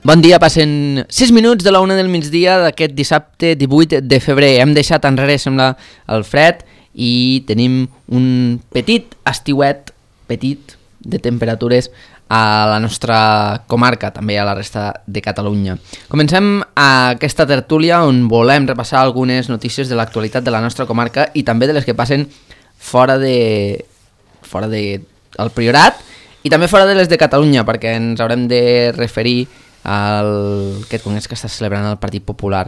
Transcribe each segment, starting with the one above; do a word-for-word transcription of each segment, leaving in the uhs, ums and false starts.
Bon dia, passen sis minuts de la una del migdia d'aquest dissabte divuit de febrer. Hem deixat enrere, sembla, el fred i tenim un petit estiuet, petit, de temperatures a la nostra comarca, també a la resta de Catalunya. Comencem aquesta tertúlia on volem repassar algunes notícies de l'actualitat de la nostra comarca i també de les que passen fora de fora de el Priorat i també fora de les de Catalunya, perquè ens haurem de referir al aquest congrés que està celebrant el Partit Popular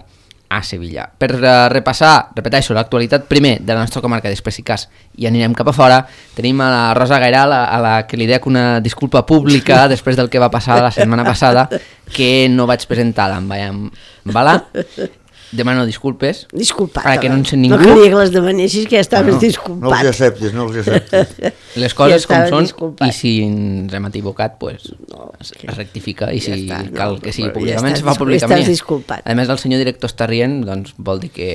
a Sevilla. Per uh, repassar, repeteixo, l'actualitat primer de la nostra comarca, després si cas i anirem cap a fora, tenim a la Rosa Gairal, a, a la que li dec una disculpa pública després del que va passar la setmana passada, que no vaig presentar l'envaiam, vala? Demano disculpes. Disculpat. Perquè no en sé ningú. No calia que les demanessis, que ja estaves no, disculpat. No els acceptis, no els acceptis. Les coses ja com són, disculpat. i si ens hem equivocat, pues, no, es, es rectifica, i si ja està, cal no, que sigui ja públicament, estàs, se fa públicament. estàs disculpat. A més, el senyor director està rient, doncs vol dir que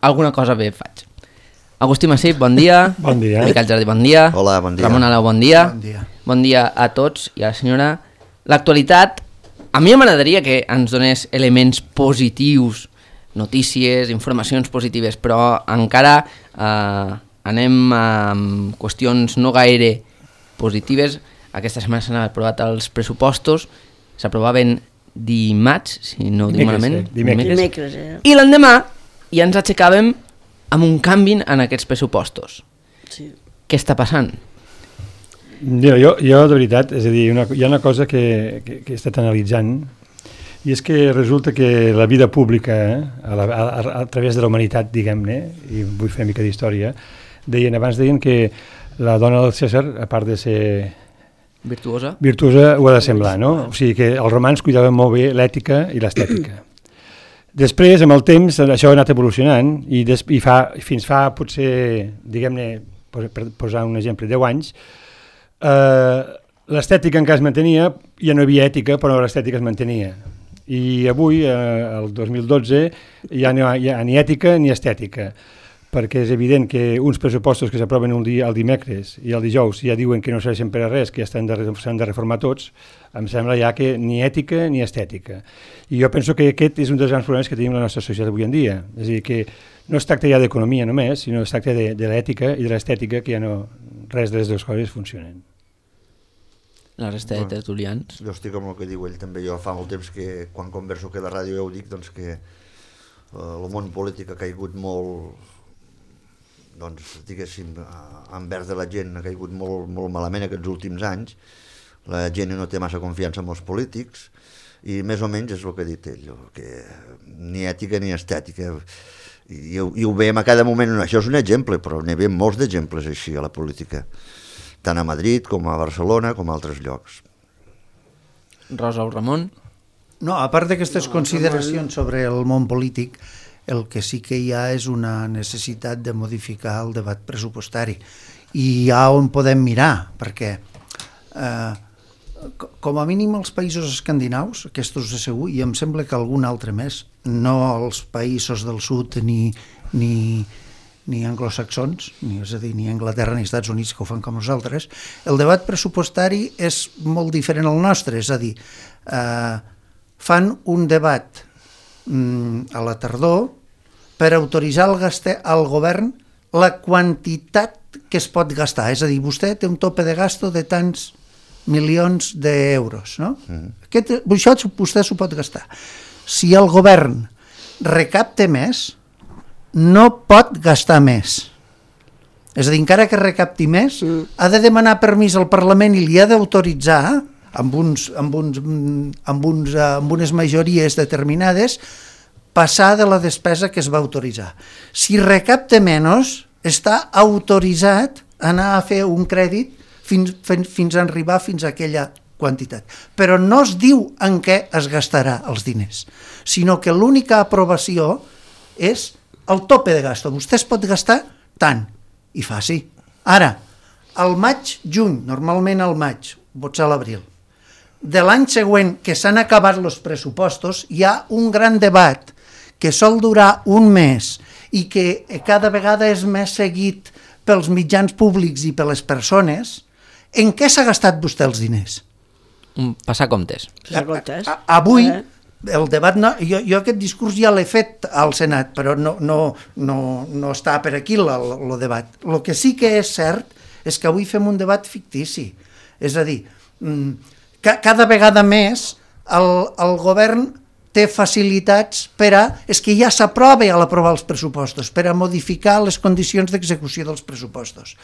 alguna cosa bé faig. Agustí Massip, bon dia. Bon dia. Miquel Jardí, bon dia. Hola, bon dia. Ramon Aleu, bon dia. Bon dia. Bon dia a tots i a la senyora. L'actualitat, a mi m'agradaria que ens donés elements positius, notícies, informacions positives, però encara eh, anem amb qüestions no gaire positives. Aquesta setmana s'han aprovat els pressupostos, s'aprovaven dimarts, si no ho dic malament. Dimecres. Dimecres, eh? I l'endemà ja ens aixecàvem amb un canvi en aquests pressupostos. Sí. Què està passant? Jo, jo, jo de veritat, és a dir, una, hi ha una cosa que, que, que he estat analitzant, i és que resulta que la vida pública, eh, a, la, a, a través de la humanitat, diguem-ne, i vull fer una mica d'història, deien, abans deien que la dona del Cèsar, a part de ser Virtuosa? virtuosa, ho ha de semblar, no? O sigui que els romans cuidaven molt bé l'ètica i l'estètica. Després, amb el temps, això ha anat evolucionant, i, des, i fa, fins fa, potser, diguem-ne, per posar un exemple, deu anys, eh, l'estètica encara es mantenia, ja no hi havia ètica, però l'estètica es mantenia. I avui, eh, el dos mil dotze, ja no hi ha ni ètica ni estètica, perquè és evident que uns pressupostos que s'aproven un dia, el dimecres i el dijous ja diuen que no serveixen per a res, que ja s'han de, de reformar tots, em sembla ja que ni ètica ni estètica. I jo penso que aquest és un dels grans problemes que tenim la nostra societat avui en dia. És a dir, que no es tracta ja d'economia només, sinó es tracta de, de l'ètica i de l'estètica, que ja no, res de les dues coses funcionen. La resta de tertulians. Jo estic amb el que diu ell també. Jo fa molt temps que quan converso que a la ràdio ja ho dic, doncs que eh, el món polític ha caigut molt, doncs diguéssim, envers de la gent ha caigut molt, molt malament aquests últims anys. La gent no té massa confiança en els polítics i més o menys és el que ha dit ell, que ni ètica ni estètica. I, i ho veiem a cada moment, això és un exemple, però n'hi veiem molts d'exemples així a la política, tant a Madrid com a Barcelona com a altres llocs. Rosa o Ramon? No, a part d'aquestes no, consideracions sobre el món polític, el que sí que hi ha és una necessitat de modificar el debat pressupostari. I hi ha on podem mirar, perquè eh, com a mínim els països escandinaus, aquests de segur, i em sembla que algun altre més, no els països del sud ni, ni, ni anglosaxons, ni, és a dir, ni Anglaterra ni Estats Units, que ho fan com nosaltres, el debat pressupostari és molt diferent al nostre, és a dir, eh, fan un debat mm, a la tardor per autoritzar al, gaste, al govern la quantitat que es pot gastar, és a dir, vostè té un tope de gasto de tants milions d'euros, no? Mm. Aquest, això vostè s'ho pot gastar. Si el govern recapta més, no pot gastar més. És a dir, encara que recapti més, mm. ha de demanar permís al Parlament i li ha d'autoritzar, amb, uns, amb, uns, amb, uns, amb unes majories determinades, passar de la despesa que es va autoritzar. Si recapta menys, està autoritzat a anar a fer un crèdit fins, fins a arribar fins a aquella quantitat. Però no es diu en què es gastarà els diners, sinó que l'única aprovació és el tope de gasto. Vostè es pot gastar tant, i fa sí. Ara, al maig, juny, normalment al maig, potser a l'abril, de l'any següent que s'han acabat els pressupostos, hi ha un gran debat que sol durar un mes i que cada vegada és més seguit pels mitjans públics i per les persones, en què s'ha gastat vostè els diners? Passar comptes. Passar comptes. A, a, avui, eh? el debat, no, jo, jo aquest discurs ja l'he fet al Senat, però no, no, no, no està per aquí el debat. El que sí que és cert és que avui fem un debat fictici. És a dir, ca, cada vegada més el, el govern té facilitats per a, és que ja s'aprova a l'aprovar els pressupostos, per a modificar les condicions d'execució dels pressupostos.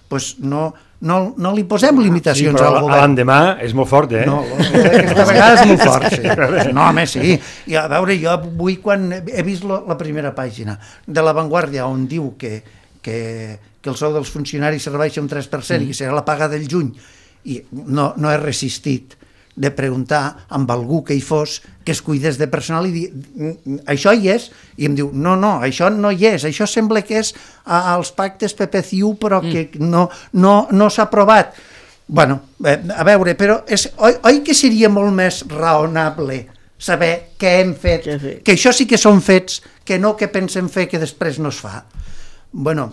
Pues no, no, no li posem limitacions sí, al govern. L'endemà és molt fort, eh? No, aquesta vegada és molt fort, sí. No, home, sí. I a veure, jo avui quan he vist lo, la primera pàgina de La Vanguardia on diu que, que, que el sou dels funcionaris se rebaixa un tres per cent mm. i serà la paga del juny, i no, no he resistit de preguntar amb algú que hi fos que es cuidés de personal i dir, això hi és? I em diu, no, no, això no hi és, això sembla que és als pactes P P C I U però que no, no, no s'ha aprovat. Bueno, a veure, però és, oi, oi que seria molt més raonable saber què hem fet, que això sí que són fets, que no que pensem fer que després no es fa. Bueno,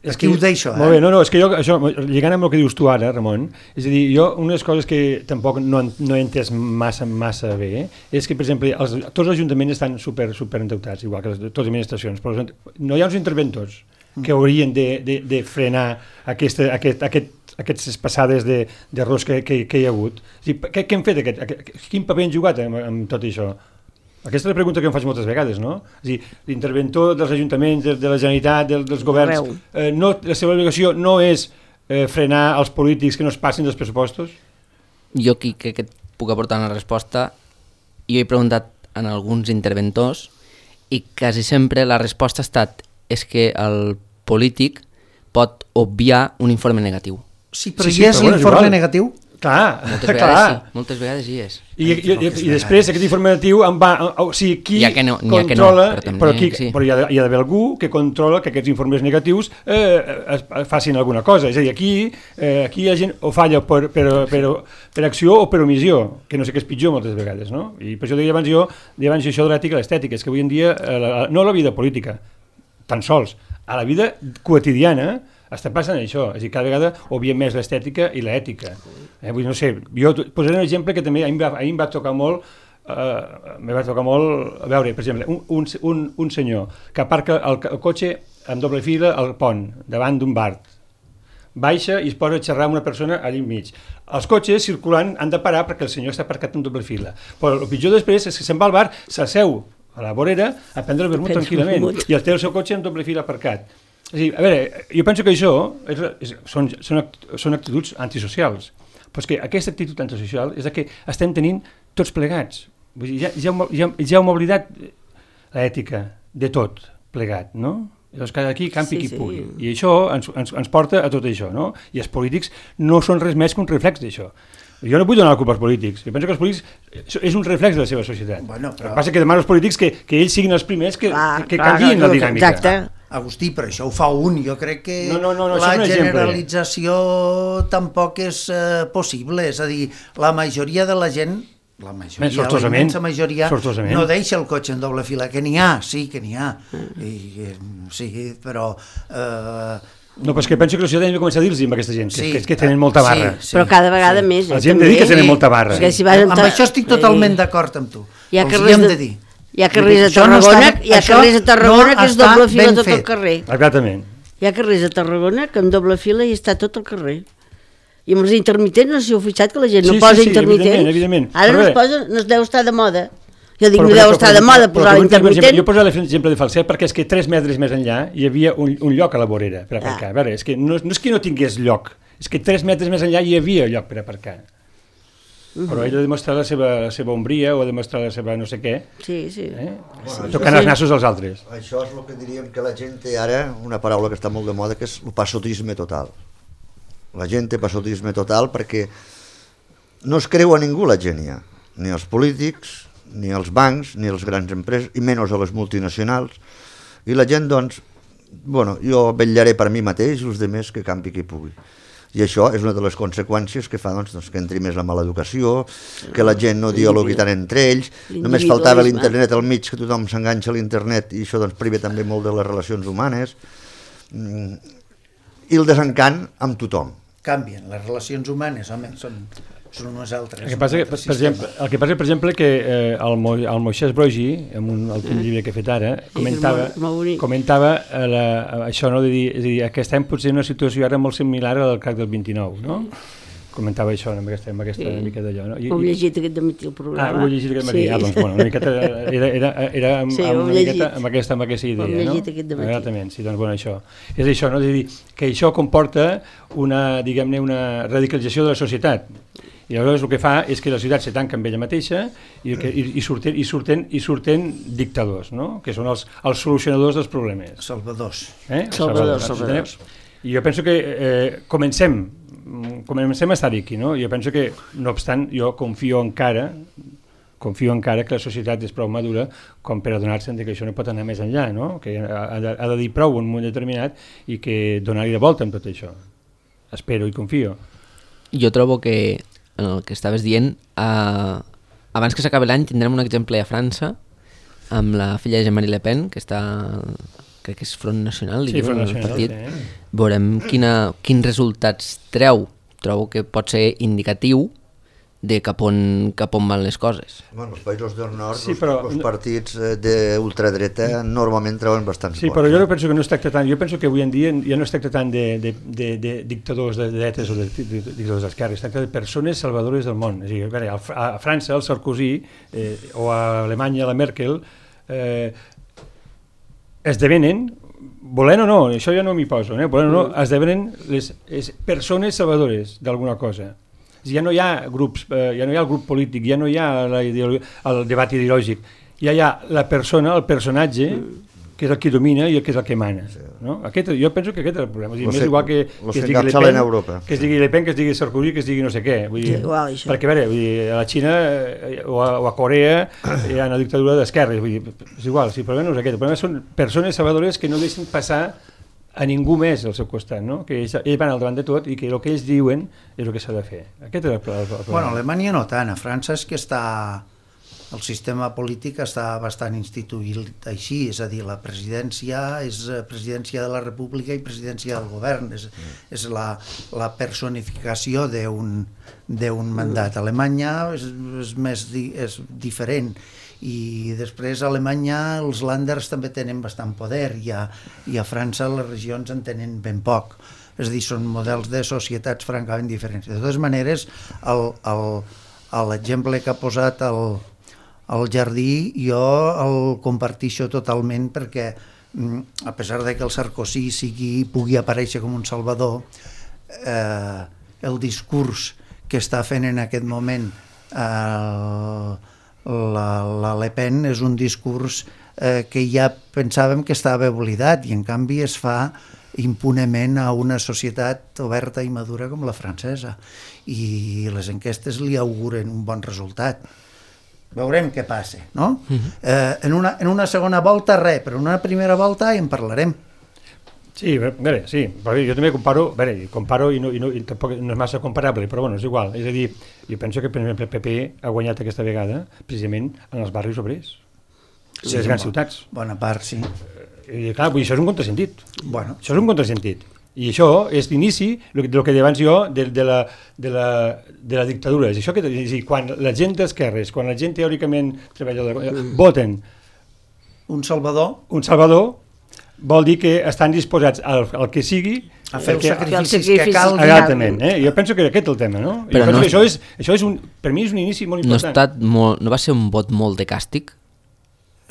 és que ho deixo, eh? Molt bé, no, no, és que jo, això, lligant amb el que dius tu ara, Ramon, és a dir, jo, una de les coses que tampoc no, no he entès massa, massa bé, és que, per exemple, els, tots els ajuntaments estan super, super endeutats, igual que les, totes les administracions, però no hi ha uns interventors que haurien de, de, de frenar aquesta, aquest, aquest, aquestes passades d'errors que, que, que hi ha hagut. O sigui, què, què hem fet? Aquest, aquest, quin paper han jugat amb, amb tot això? Aquesta és la pregunta que em faig moltes vegades, no? És a dir, l'interventor dels ajuntaments, de, de la Generalitat, de, dels governs, eh, no, la seva obligació no és eh, frenar els polítics que no es passin dels pressupostos? Jo aquí crec que et puc aportar una resposta. Jo he preguntat en alguns interventors i quasi sempre la resposta ha estat és que el polític pot obviar un informe negatiu. Sí, però sí, sí, hi és però l'informe bueno, negatiu? Clar, moltes clar. Vegades sí, moltes vegades hi és. I, i, i, i després aquest informatiu en va, o sigui, qui ja no, controla, no, però, però, qui, sí. però hi ha, hi ha d'haver algú que controla que aquests informes negatius eh, es, es facin alguna cosa. És a dir, aquí, eh, aquí hi ha gent o falla per, per, per, per acció o per omissió, que no sé què és pitjor moltes vegades, no? I per això deia abans jo, deia abans això de l'ètica i l'estètica, és que avui en dia, eh, la, no a la vida política, tan sols, a la vida quotidiana, està passant això, és a dir, cada vegada obviem més l'estètica i l'ètica. Eh, vull, no sé, jo posaré un exemple que també a mi em va, a mi em va tocar molt, eh, me va tocar molt, a veure, per exemple, un, un, un senyor que aparca el, el cotxe en doble fila al pont, davant d'un bar, baixa i es posa a xerrar amb una persona allà enmig. Els cotxes circulant han de parar perquè el senyor està aparcat en doble fila, però el pitjor després és que se'n va al bar, s'asseu a la vorera a prendre el vermut tranquil·lament i el té el seu cotxe en doble fila aparcat. És a dir, a veure, jo penso que això és, és, són, són, són actituds antisocials, però és que aquesta actitud antisocial és la que estem tenint tots plegats. Vull dir, ja, ja, ja, ja hem oblidat l'ètica de tot plegat, no? Llavors cada qui campi sí, qui sí. pugui. I això ens, ens, ens porta a tot això, no? I els polítics no són res més que un reflex d'això. Jo no vull donar la culpa als polítics. Jo penso que els polítics és un reflex de la seva societat. Bueno, però... El que passa és que demano als polítics que, que ells siguin els primers que, clar, que, que clar, canviïn clar, la dinàmica. Exacte. Agustí, però això ho fa un. Jo crec que no, no, no, no, la generalització tampoc és eh, possible. És a dir, la majoria de la gent, la majoria, la immensa majoria, no deixa el cotxe en doble fila. Que n'hi ha, sí, que n'hi ha. I, sí, però... Eh, No, però és que penso que la societat hem de començar a dir-los amb aquesta gent, que, sí, que, que tenen molta barra. Sí, sí, però cada vegada sí. més. Els hem de dir que tenen molta barra. Si vas amb això estic totalment d'acord amb tu. Hi ha carrers de, de dir. Hi ha carrers a Tarragona, no hi ha carrers a Tarragona no que és doble fila tot fet. El carrer. Exactament. Hi ha carrers a Tarragona que amb doble fila hi està tot el carrer. I amb els intermitents, no sé si heu fixat que la gent sí, no posa sí, sí, intermitents. Evidentment, evidentment. Ara però no es posa, no es deu estar de moda. Jo dic, però, no deu estar de moda posar l'intermitent. Jo poso l'exemple de Falset perquè és que tres metres més enllà hi havia un, un lloc a la vorera per aparcar. Ah. A veure, és que no, no és que no tingués lloc, és que tres metres més enllà hi havia lloc per aparcar. Uh-huh. Però ell ha demostrat la seva, la seva ombria o ha demostrat la seva no sé què, sí, sí. Eh? Bueno, tocant els nassos als altres. Això és el que diríem que la gent té ara, una paraula que està molt de moda, que és el passotisme total. La gent té passotisme total perquè no es creu a ningú la gent ja, ni els polítics, ni els bancs, ni les grans empreses, i menys a les multinacionals. I la gent, doncs, bueno, jo vetllaré per mi mateix i els altres que campi qui pugui. I això és una de les conseqüències que fa doncs, doncs, que entri més la mala educació, que la gent no dialogui tant entre ells, només faltava l'internet al mig, que tothom s'enganxa a l'internet i això doncs, priva també molt de les relacions humanes. i el desencant amb tothom. Canvien, les relacions humanes, home, són, són unes altres. El que passa, que, per, exemple, el que passa, per exemple, que eh, el, Mo, el Moisès Broggi, en un últim llibre que he fet ara, comentava, comentava eh, la, això, no, de dir, és a dir, que estem potser en una situació ara molt similar al crac del vint-i-nou, no? Comentava això amb aquesta, amb aquesta sí. mica d'allò, no? I, ho he llegit aquest matí el programa. Ah, ho he llegit aquest matí. Sí. Ah, doncs, bueno, una miqueta era, era, era amb, sí, amb, una miqueta, amb, aquesta, amb aquesta idea, no? Ho he llegit aquest matí. Exactament, sí, doncs, bueno, això. És això, no? És a dir, que això comporta una, diguem-ne, una radicalització de la societat. I aleshores el que fa és que la societat se tanca amb ella mateixa i, que, i, i, surten, i, surten, i surten dictadors, no? Que són els, els solucionadors dels problemes. Salvadors. Eh? Salvadors, salvadors. I jo penso que eh, comencem comencem a estar aquí, no? Jo penso que, no obstant, jo confio encara confio encara que la societat és prou madura com per adonar-se'n que això no pot anar més enllà, no? Que ha de, ha de dir prou en un moment determinat i que donar-hi de volta amb tot això. Espero i confio. Jo trobo que, en el que estaves dient, eh, abans que s'acabi l'any tindrem un exemple a França amb la filla de Jean-Marie Le Pen, que està... crec que és Front Nacional, sí, Front Nacional, partit. Sí. Veurem quina, quins resultats treu. Trobo que pot ser indicatiu de cap on, cap on van les coses. Bueno, els països del nord, sí, però... els, els partits d'ultradreta normalment treuen bastants sí, vots. Sí, però jo penso que no es tracta tant, jo penso que avui en dia ja no es tracta tant de, de, de, de dictadors de dretes o de, de, de dictadors d'esquerra, es tracta de persones salvadores del món. És a dir, a França, el Sarkozy, eh, o a Alemanya, la Merkel, eh, esdevenen, volent o no, això ja no m'hi poso, eh? volent o no, esdevenen les, les persones salvadores d'alguna cosa. Ja no hi ha grups, eh, ja no hi ha el grup polític, ja no hi ha la el debat ideològic, ja hi ha la persona, el personatge, que és el que domina i el que és el que mana. No? Aquest, jo penso que aquest és el problema. Dir, més se, igual que, que, es digui Le Pen, que es digui Le Pen, que es digui Sarkozy, que es digui no sé què. Vull dir, igual, perquè a, veure, vull dir, a la Xina o a, o a Corea hi ha una dictadura d'esquerres. És igual, sí, el problema no és aquest. El problema són persones salvadores que no deixen passar a ningú més al seu costat, no? Que ells, ells van al davant de tot i que el que ells diuen és el que s'ha de fer. Aquest és el problema. Bueno, a Alemanya no tant, a França és que està... El sistema polític està bastant instituït així, és a dir, la presidència és presidència de la República i presidència del govern, és, és la, la personificació d'un d'un mandat. A Alemanya és, és, més di, és diferent i després a Alemanya els Länders també tenen bastant poder i a, i a França les regions en tenen ben poc. És a dir, són models de societats francament diferents. De totes maneres, l'exemple que ha posat el el Jardí jo el comparteixo totalment perquè a pesar de que el Sarkozy sigui, pugui aparèixer com un salvador, eh, el discurs que està fent en aquest moment eh, la, la Le Pen és un discurs eh, que ja pensàvem que estava oblidat i en canvi es fa impunement a una societat oberta i madura com la francesa i les enquestes li auguren un bon resultat. Veurem què passa, no? Uh-huh. eh, en, una, en una segona volta res, però en una primera volta ja en parlarem. Sí, a veure, sí, però jo també comparo, a veure, comparo i, no, i, no, i tampoc no és massa comparable, però bueno, és igual. És a dir, jo penso que per exemple el P P ha guanyat aquesta vegada precisament en els barris obrers, sí, les grans bo, ciutats. Bona part, sí. I clar, vull dir, això és un contrasentit. Bueno. Això és un contrasentit. I això és l'inici del que deia abans jo de, de, la, de, la, de la dictadura. És això que, és dir, quan la gent d'esquerres, quan la gent teòricament treballadora, voten un salvador, un salvador vol dir que estan disposats al, al que sigui a fer perquè, els sacrificis que cal. Exactament, eh? Jo penso que aquest és el tema, no? Però no, això, és, això és un, per mi és un inici molt important. No, ha estat molt, no va ser un vot molt de càstig?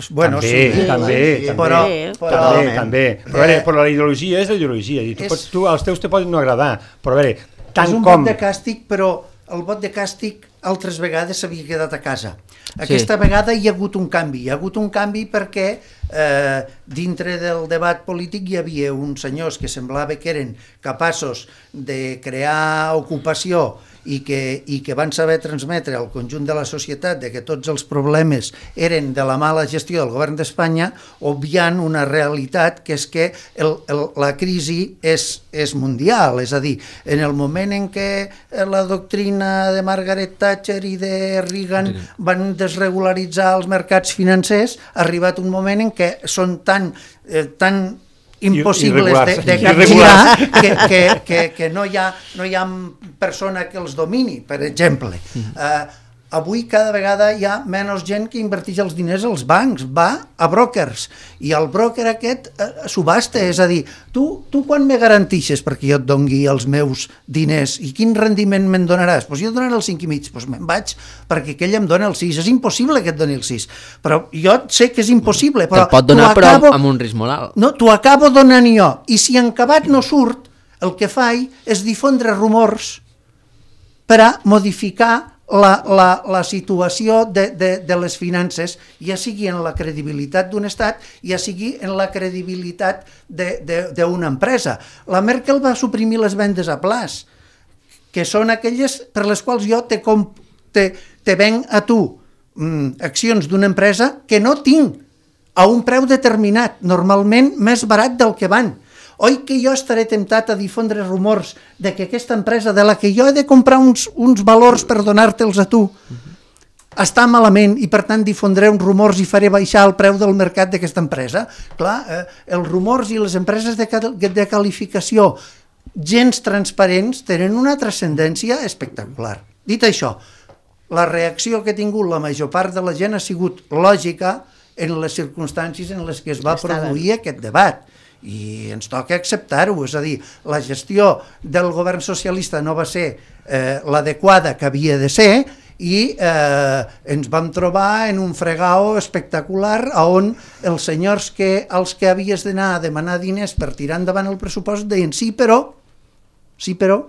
Bueno, també, sí, també, sí, també, però, però, també, també. Però, veure, però la ideologia és la ideologia. I tu, és, pots, tu els teus te poden no agradar, però a veure, tant és un com... vot de càstig, però el vot de càstig altres vegades s'havia quedat a casa. Aquesta sí. vegada hi ha hagut un canvi. Hi ha hagut un canvi perquè eh, dintre del debat polític hi havia uns senyors que semblava que eren capaços de crear ocupació i que, i que van saber transmetre al conjunt de la societat de que tots els problemes eren de la mala gestió del govern d'Espanya, obviant una realitat que és que el, el, la crisi és, és mundial, és a dir, en el moment en què la doctrina de Margaret Thatcher i de Reagan van desregularitzar els mercats financers, ha arribat un moment en què són tan, eh, tan impossibles de, de capgirar, que, que, que, que no, hi ha, no hi ha persona que els domini, per exemple. Uh, avui cada vegada hi ha menys gent que inverteix els diners als bancs, va a brokers, i el broker aquest uh, subhasta, és a dir, tu, tu quan me garantixes perquè jo et dongui els meus diners i quin rendiment me'n donaràs? Doncs jo et donaré el cinc i mig, doncs me'n vaig perquè aquell em dona el sis. És impossible que et doni el sis, però jo sé que és impossible. Però te'l pot donar però acabo, amb un risc molt alt. No, t'ho acabo donant jo, i si en acabat no surt, el que faig és difondre rumors per a modificar La, la, la situació de, de, de les finances, ja sigui en la credibilitat d'un estat, ja sigui en la credibilitat d'una empresa. La Merkel va suprimir les vendes a plaç, que són aquelles per les quals jo te, te, te venc a tu mm, accions d'una empresa que no tinc a un preu determinat, normalment més barat del que van. Oi que jo estaré temptat a difondre rumors de que aquesta empresa de la que jo he de comprar uns, uns valors per donar-te'ls a tu està malament i per tant difondré uns rumors i faré baixar el preu del mercat d'aquesta empresa? Clar, eh, els rumors i les empreses de, de qualificació gens transparents tenen una transcendència espectacular. Dit això, la reacció que ha tingut la major part de la gent ha sigut lògica en les circumstàncies en les que es va produir aquest debat. I ens toca acceptar-ho, és a dir, la gestió del govern socialista no va ser eh, l'adequada que havia de ser i eh, ens vam trobar en un fregao espectacular on els senyors que, als que havies d'anar a demanar diners per tirar endavant el pressupost deien sí però, sí però,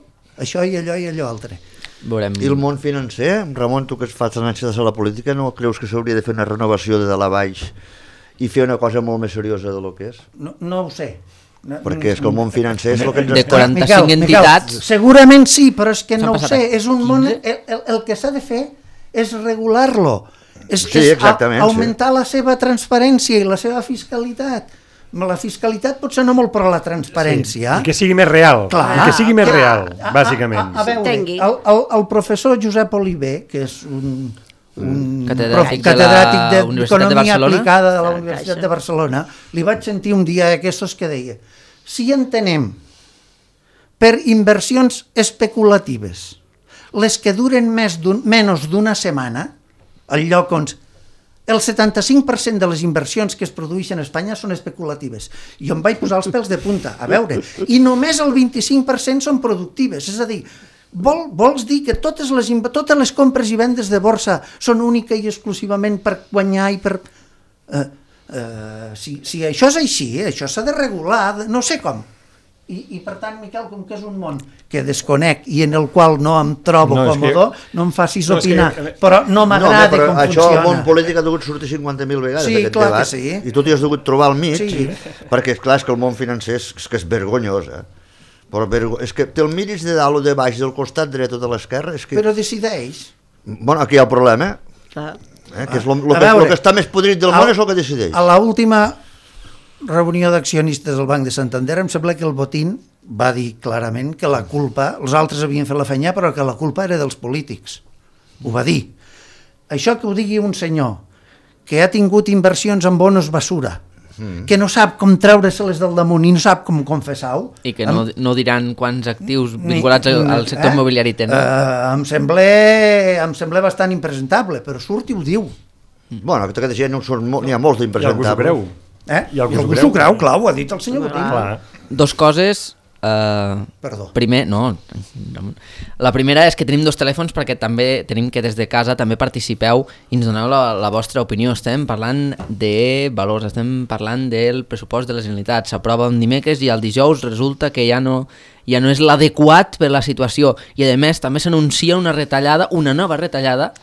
això i allò i allò altre. Veurem. I el món financer, Ramon, tu que fas anància de la política, no creus que s'hauria de fer una renovació de dalt a baix i fer una cosa molt més seriosa de lo que és? No, no ho sé. No, perquè és que el món financer és el que ens... De quaranta-cinc Miquel, entitats... Miquel, segurament sí, però és que no ho sé. passat És un món... El, el, el que s'ha de fer és regular-lo. És, Sí, és exactament, a, augmentar la seva transparència i la seva fiscalitat. La fiscalitat potser no molt, però la transparència... I que sigui més real. Clar, I que sigui més clar, real, a- a- bàsicament. A, a veure, S'entengui. el, el, el professor Josep Oliver, que és un, un Catedràtic prof- de la catedràtic Universitat de d'Economia Barcelona. aplicada de la Ah, Universitat Caixa. de Barcelona, li vaig sentir un dia aquests que deia: si entenem per inversions especulatives les que duren més d'un, menys d'una setmana, al lloc on el setanta-cinc per cent de les inversions que es produeixen a Espanya són especulatives. I em vaig posar els pèls de punta, a veure, i només el vint-i-cinc per cent són productives, és a dir, vol, vols dir que totes les, totes les compres i vendes de borsa són única i exclusivament per guanyar i per... Eh, eh, si, si això és així, eh, això s'ha de regular, no sé com. I, i per tant, Miquel, com que és un món que desconec i en el qual no em trobo No, és còmode, que- no em facis no, és que- opinar, però no No, m'agrada però com això funciona. al món polític ha degut sortir cinquanta mil vegades Sí, d'aquest clar que debat, sí. i tu t'hi has degut trobar al mig, Sí. perquè és clar és que el món financer és, és que és vergonyós, eh? Però vergo... és que te'l miris de dalt o de baix, del costat dret o de l'esquerra, és que... Però decideix. Bueno, aquí hi ha el problema, Clar. eh? que és lo, lo, A que, veure, lo que està més podrit del món és el que decideix. A l'última reunió d'accionistes del Banc de Santander em sembla que el Botín va dir clarament que la culpa, els altres havien fet la feina, però que la culpa era dels polítics. Ho va dir. Això que ho digui un senyor que ha tingut inversions en bonos basura, mm. que no sap com treure-se-les del damunt i no sap com confessar-ho... I que no, no diran quants actius Ni- vinculats al, al sector eh? immobiliari tenen. Eh, em, sembla, em sembla bastant impresentable, però surt i ho diu. Bueno, aquesta gent no són molt, n'hi ha molts I algú s'ho d'impresentables. creu. Eh? I algú I s'ho algú creu. s'ho creu, clar, ho ha dit el senyor Botín. Clar. Dos coses... Uh, Perdó. Primer, no, la primera és que tenim dos telèfons perquè també tenim que des de casa també participeu i ens doneu la, la vostra opinió. Estem parlant de valors, estem parlant del pressupost de les Generalitats. S'aprova un dimecres i el dijous resulta que ja no, ja no és l'adequat per la situació i a més també s'anuncia una retallada, una nova retallada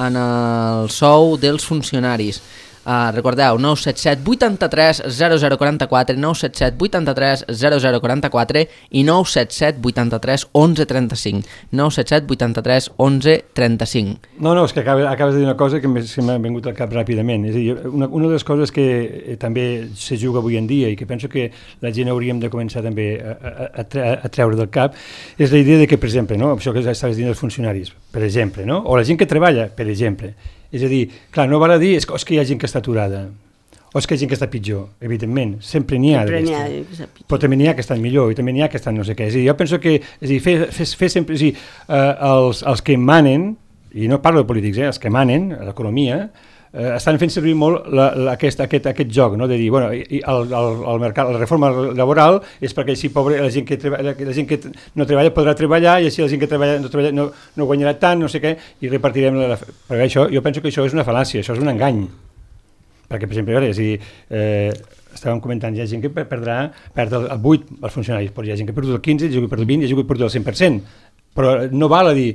en el sou dels funcionaris. Uh, recordeu, nou set set vuit tres zero zero quatre quatre, nou set set vuit tres zero zero quatre quatre i nou set set vuit tres onze trenta cinc, nou set set vuit tres onze trenta cinc. No, no, és que acabes, acabes de dir una cosa que m'he- se m'ha vingut al cap ràpidament. És a dir, una, una de les coses que eh, també se juga avui en dia i que penso que la gent hauríem de començar també a, a, a, tre- a treure del cap és la idea de que, per exemple, no, això que estaves dient dels funcionaris, per exemple, no? O la gent que treballa, per exemple. És a dir, clar, no val a dir és que, és que hi ha gent que està aturada O és que hi ha gent que està pitjor? Evidentment, sempre n'hi ha. Sempre n'hi ha que està pitjor. Però també n'hi ha que estan millor i també n'hi ha que estan no sé què. És a dir, jo penso que és a dir, fer, fer, fer sempre... És a dir, eh, els, els que manen, i no parlo de polítics, eh, els que manen, l'economia, eh, estan fent servir molt la, la, aquest, aquest, aquest joc, no? De dir, bueno, i el, el, el mercat, la reforma laboral és perquè així pobre, la gent que, treballa, la gent que no treballa podrà treballar i així la gent que treballa no, treballa, no, no guanyarà tant, no sé què, i repartirem la... Perquè això, jo penso que això és una fal·làcia, això és un engany. Perquè, per exemple, és a dir, eh, estàvem comentant, hi ha gent que perdrà, perd el, el vuit els funcionaris, però hi ha gent que ha perdut el quinze, hi ha gent que ha perdut el vint, hi ha gent que ha perdut el cent per cent. Però no val a dir,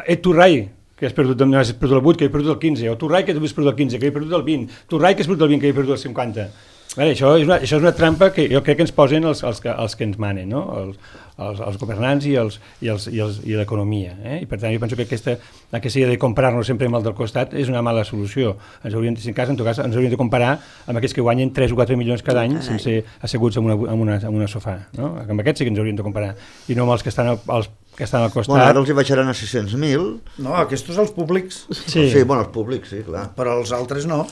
et tu rai, que has perdut, no has perdut el vuit, que he perdut el quinze, o tu rai que tu has perdut el quinze, que he perdut el vint, tu rai que has perdut el vint, que he perdut el cinquanta. Bé, això, és una, això és una trampa que jo crec que ens posen els, els, que, els que ens manen, no? els, els, els governants i, els, i, els, i, els, i l'economia. Eh? I per tant, jo penso que aquesta, aquesta idea de comparar-nos sempre amb el del costat és una mala solució. Ens hauríem, en cas, en tot cas, ens hauríem de comparar amb aquests que guanyen tres o quatre milions cada any sense asseguts en una, en una, en una sofà. No? Amb aquests sí que ens hauríem de comparar, i no amb els que estan als que estan al costat. Bueno, ara els hi baixaran a sis-cents mil. No, aquests els públics. Sí, sí, bueno, els públics, sí, clar. Però els altres no.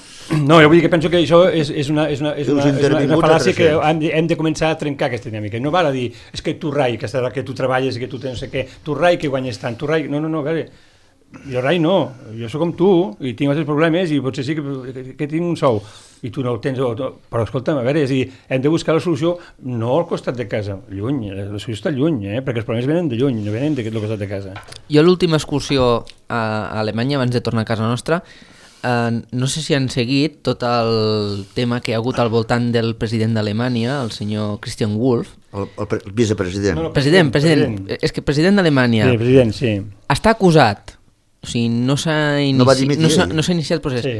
No, jo vull dir que penso que això és, és una, és una, és una, és una, és una fal·làcia que hem de, hem de començar a trencar aquesta dinàmica. No val a dir, és que tu rai, que, que tu treballes, que tu tens no sé què, tu rai que guanyes tant, tu rai... No, no, no, a veure, jo rai no, jo sóc com tu i tinc altres problemes i potser sí que, que, que tinc un sou i tu no el tens, o, però escolta'm, a veure, és a dir, hem de buscar la solució no al costat de casa, lluny, la solució està lluny, eh? Perquè els problemes venen de lluny, no venen del costat de casa. Jo l'última excursió a Alemanya, abans de tornar a casa nostra, eh, no sé si han seguit tot el tema que hi ha hagut al voltant del president d'Alemanya, el senyor Christian Wolff. El, el, el vicepresident. No, no, president, president, president. És que president d'Alemanya sí, president, sí. Està acusat. O sigui, no s'ha inici... no no no iniciat el procés sí.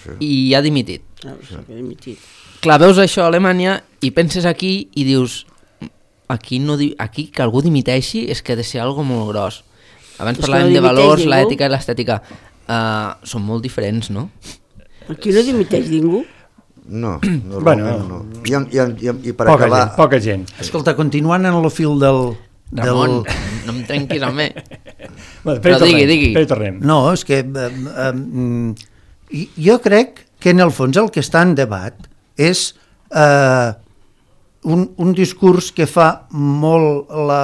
Sí. i ha dimitit. Ah, sí, que ha dimitit. Clar, veus això a Alemanya i penses aquí i dius aquí, no di... aquí que algú dimiteixi és que ha de ser algo molt gros. Abans És parlàvem no de valors, ningú. l'ètica i l'estètica. Uh, són molt diferents, no? Aquí no dimiteix ningú. No, no, Bueno, no. I, i, i, i per Poca acabar... gent, poca gent. Escolta, continuant en el fil del... Ramon, del... no em trenquis amb mi. Bueno, Però digui, digui. tornem. No, és que eh, eh, jo crec que en el fons el que està en debat és eh, un, un discurs que fa molt la,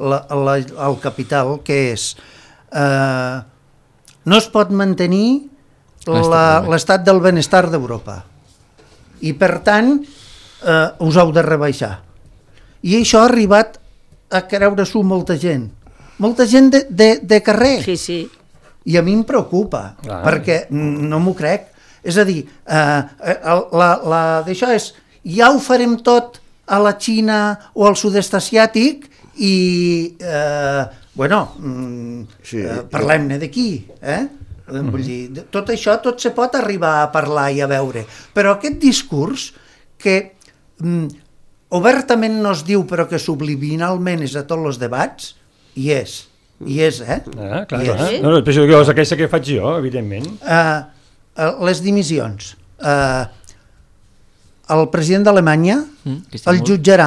la, la, el capital, que és eh, no es pot mantenir l'estat del benestar d'Europa i per tant eh, us heu de rebaixar. I això ha arribat a creure-s'ho molta gent. Molta gent de, de, de carrer. Sí, sí. I a mi em preocupa, ah. perquè no m'ho crec. És a dir, eh, la, la d'això és, ja ho farem tot a la Xina o al sud-est asiàtic i, eh, bueno, Sí, eh, parlem-ne d'aquí, eh? Mm-hmm. Vull dir, tot això, tot se pot arribar a parlar i a veure, però aquest discurs que mm, obertament no es diu però que subliminalment és a tots els debats, hi és, hi és, eh? Ah, clar, Hi clar. és. No, no, però això és aquesta que faig jo, evidentment. Uh, les dimissions. Uh, el president d'Alemanya Mm, el jutjarà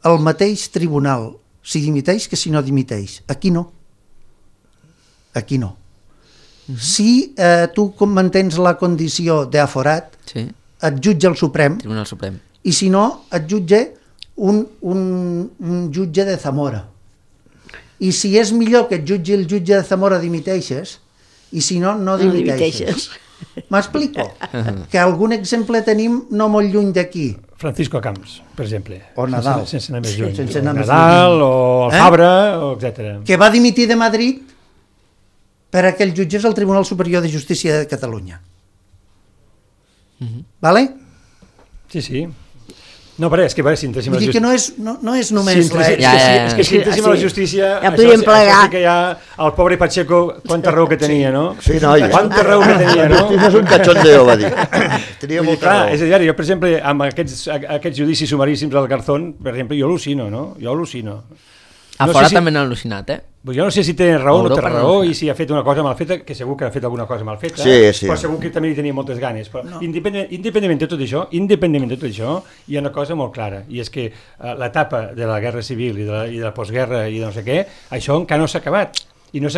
el mateix tribunal si dimiteix que si no dimiteix. Aquí no. Aquí no. Uh-huh. Si uh, tu mantens la condició d'aforat, Sí, et jutja el Suprem, Tribunal Suprem. i si no, et jutja un, un, un jutge de Zamora. I si és millor que et jutgi el jutge de Zamora, dimiteixes, i si no, no No dimiteixes. M'explico? Que algun exemple tenim no molt lluny d'aquí. Francisco Camps, per exemple. O Nadal. Sense, sense anar més Sí, lluny. sense anar o més Nadal, lluny. o el Eh? Fabra, o etcètera. Que va dimitir de Madrid per a que el jutgés al Tribunal Superior de Justícia de Catalunya. Vale? Sí, sí. No, però és que, veure, si entréssim a Vull la dir que justícia... no és, no, no és només Si entréssim, l'ètica. Ja, ja, ja. és que si entréssim a la justícia, Ja això, podríem això plegar. sí que ja el pobre Pacheco, quanta raó que tenia, no? Sí, noia. Quanta raó que tenia, no? És un cachondeo, va dir. Tenia Vull dir, molta clar, raó. és a dir, jo, per exemple, amb aquests, aquests judicis sumaríssims al Garzón, per exemple, jo al·lucino, no? Jo al·lucino. A No fora sé si- també n'han al·lucinat, eh? Jo no sé si té raó o no té Europa no raó ho fa. i si ha fet una cosa mal feta, que segur que ha fet alguna cosa mal feta, Sí, sí. però segur que també hi tenia moltes ganes. Però no. independent, independentment de tot això, independentment de tot això, hi ha una cosa molt clara, i és que uh, l'etapa de la guerra civil i de la, i de la postguerra i de no sé què, això encara no s'ha acabat. I no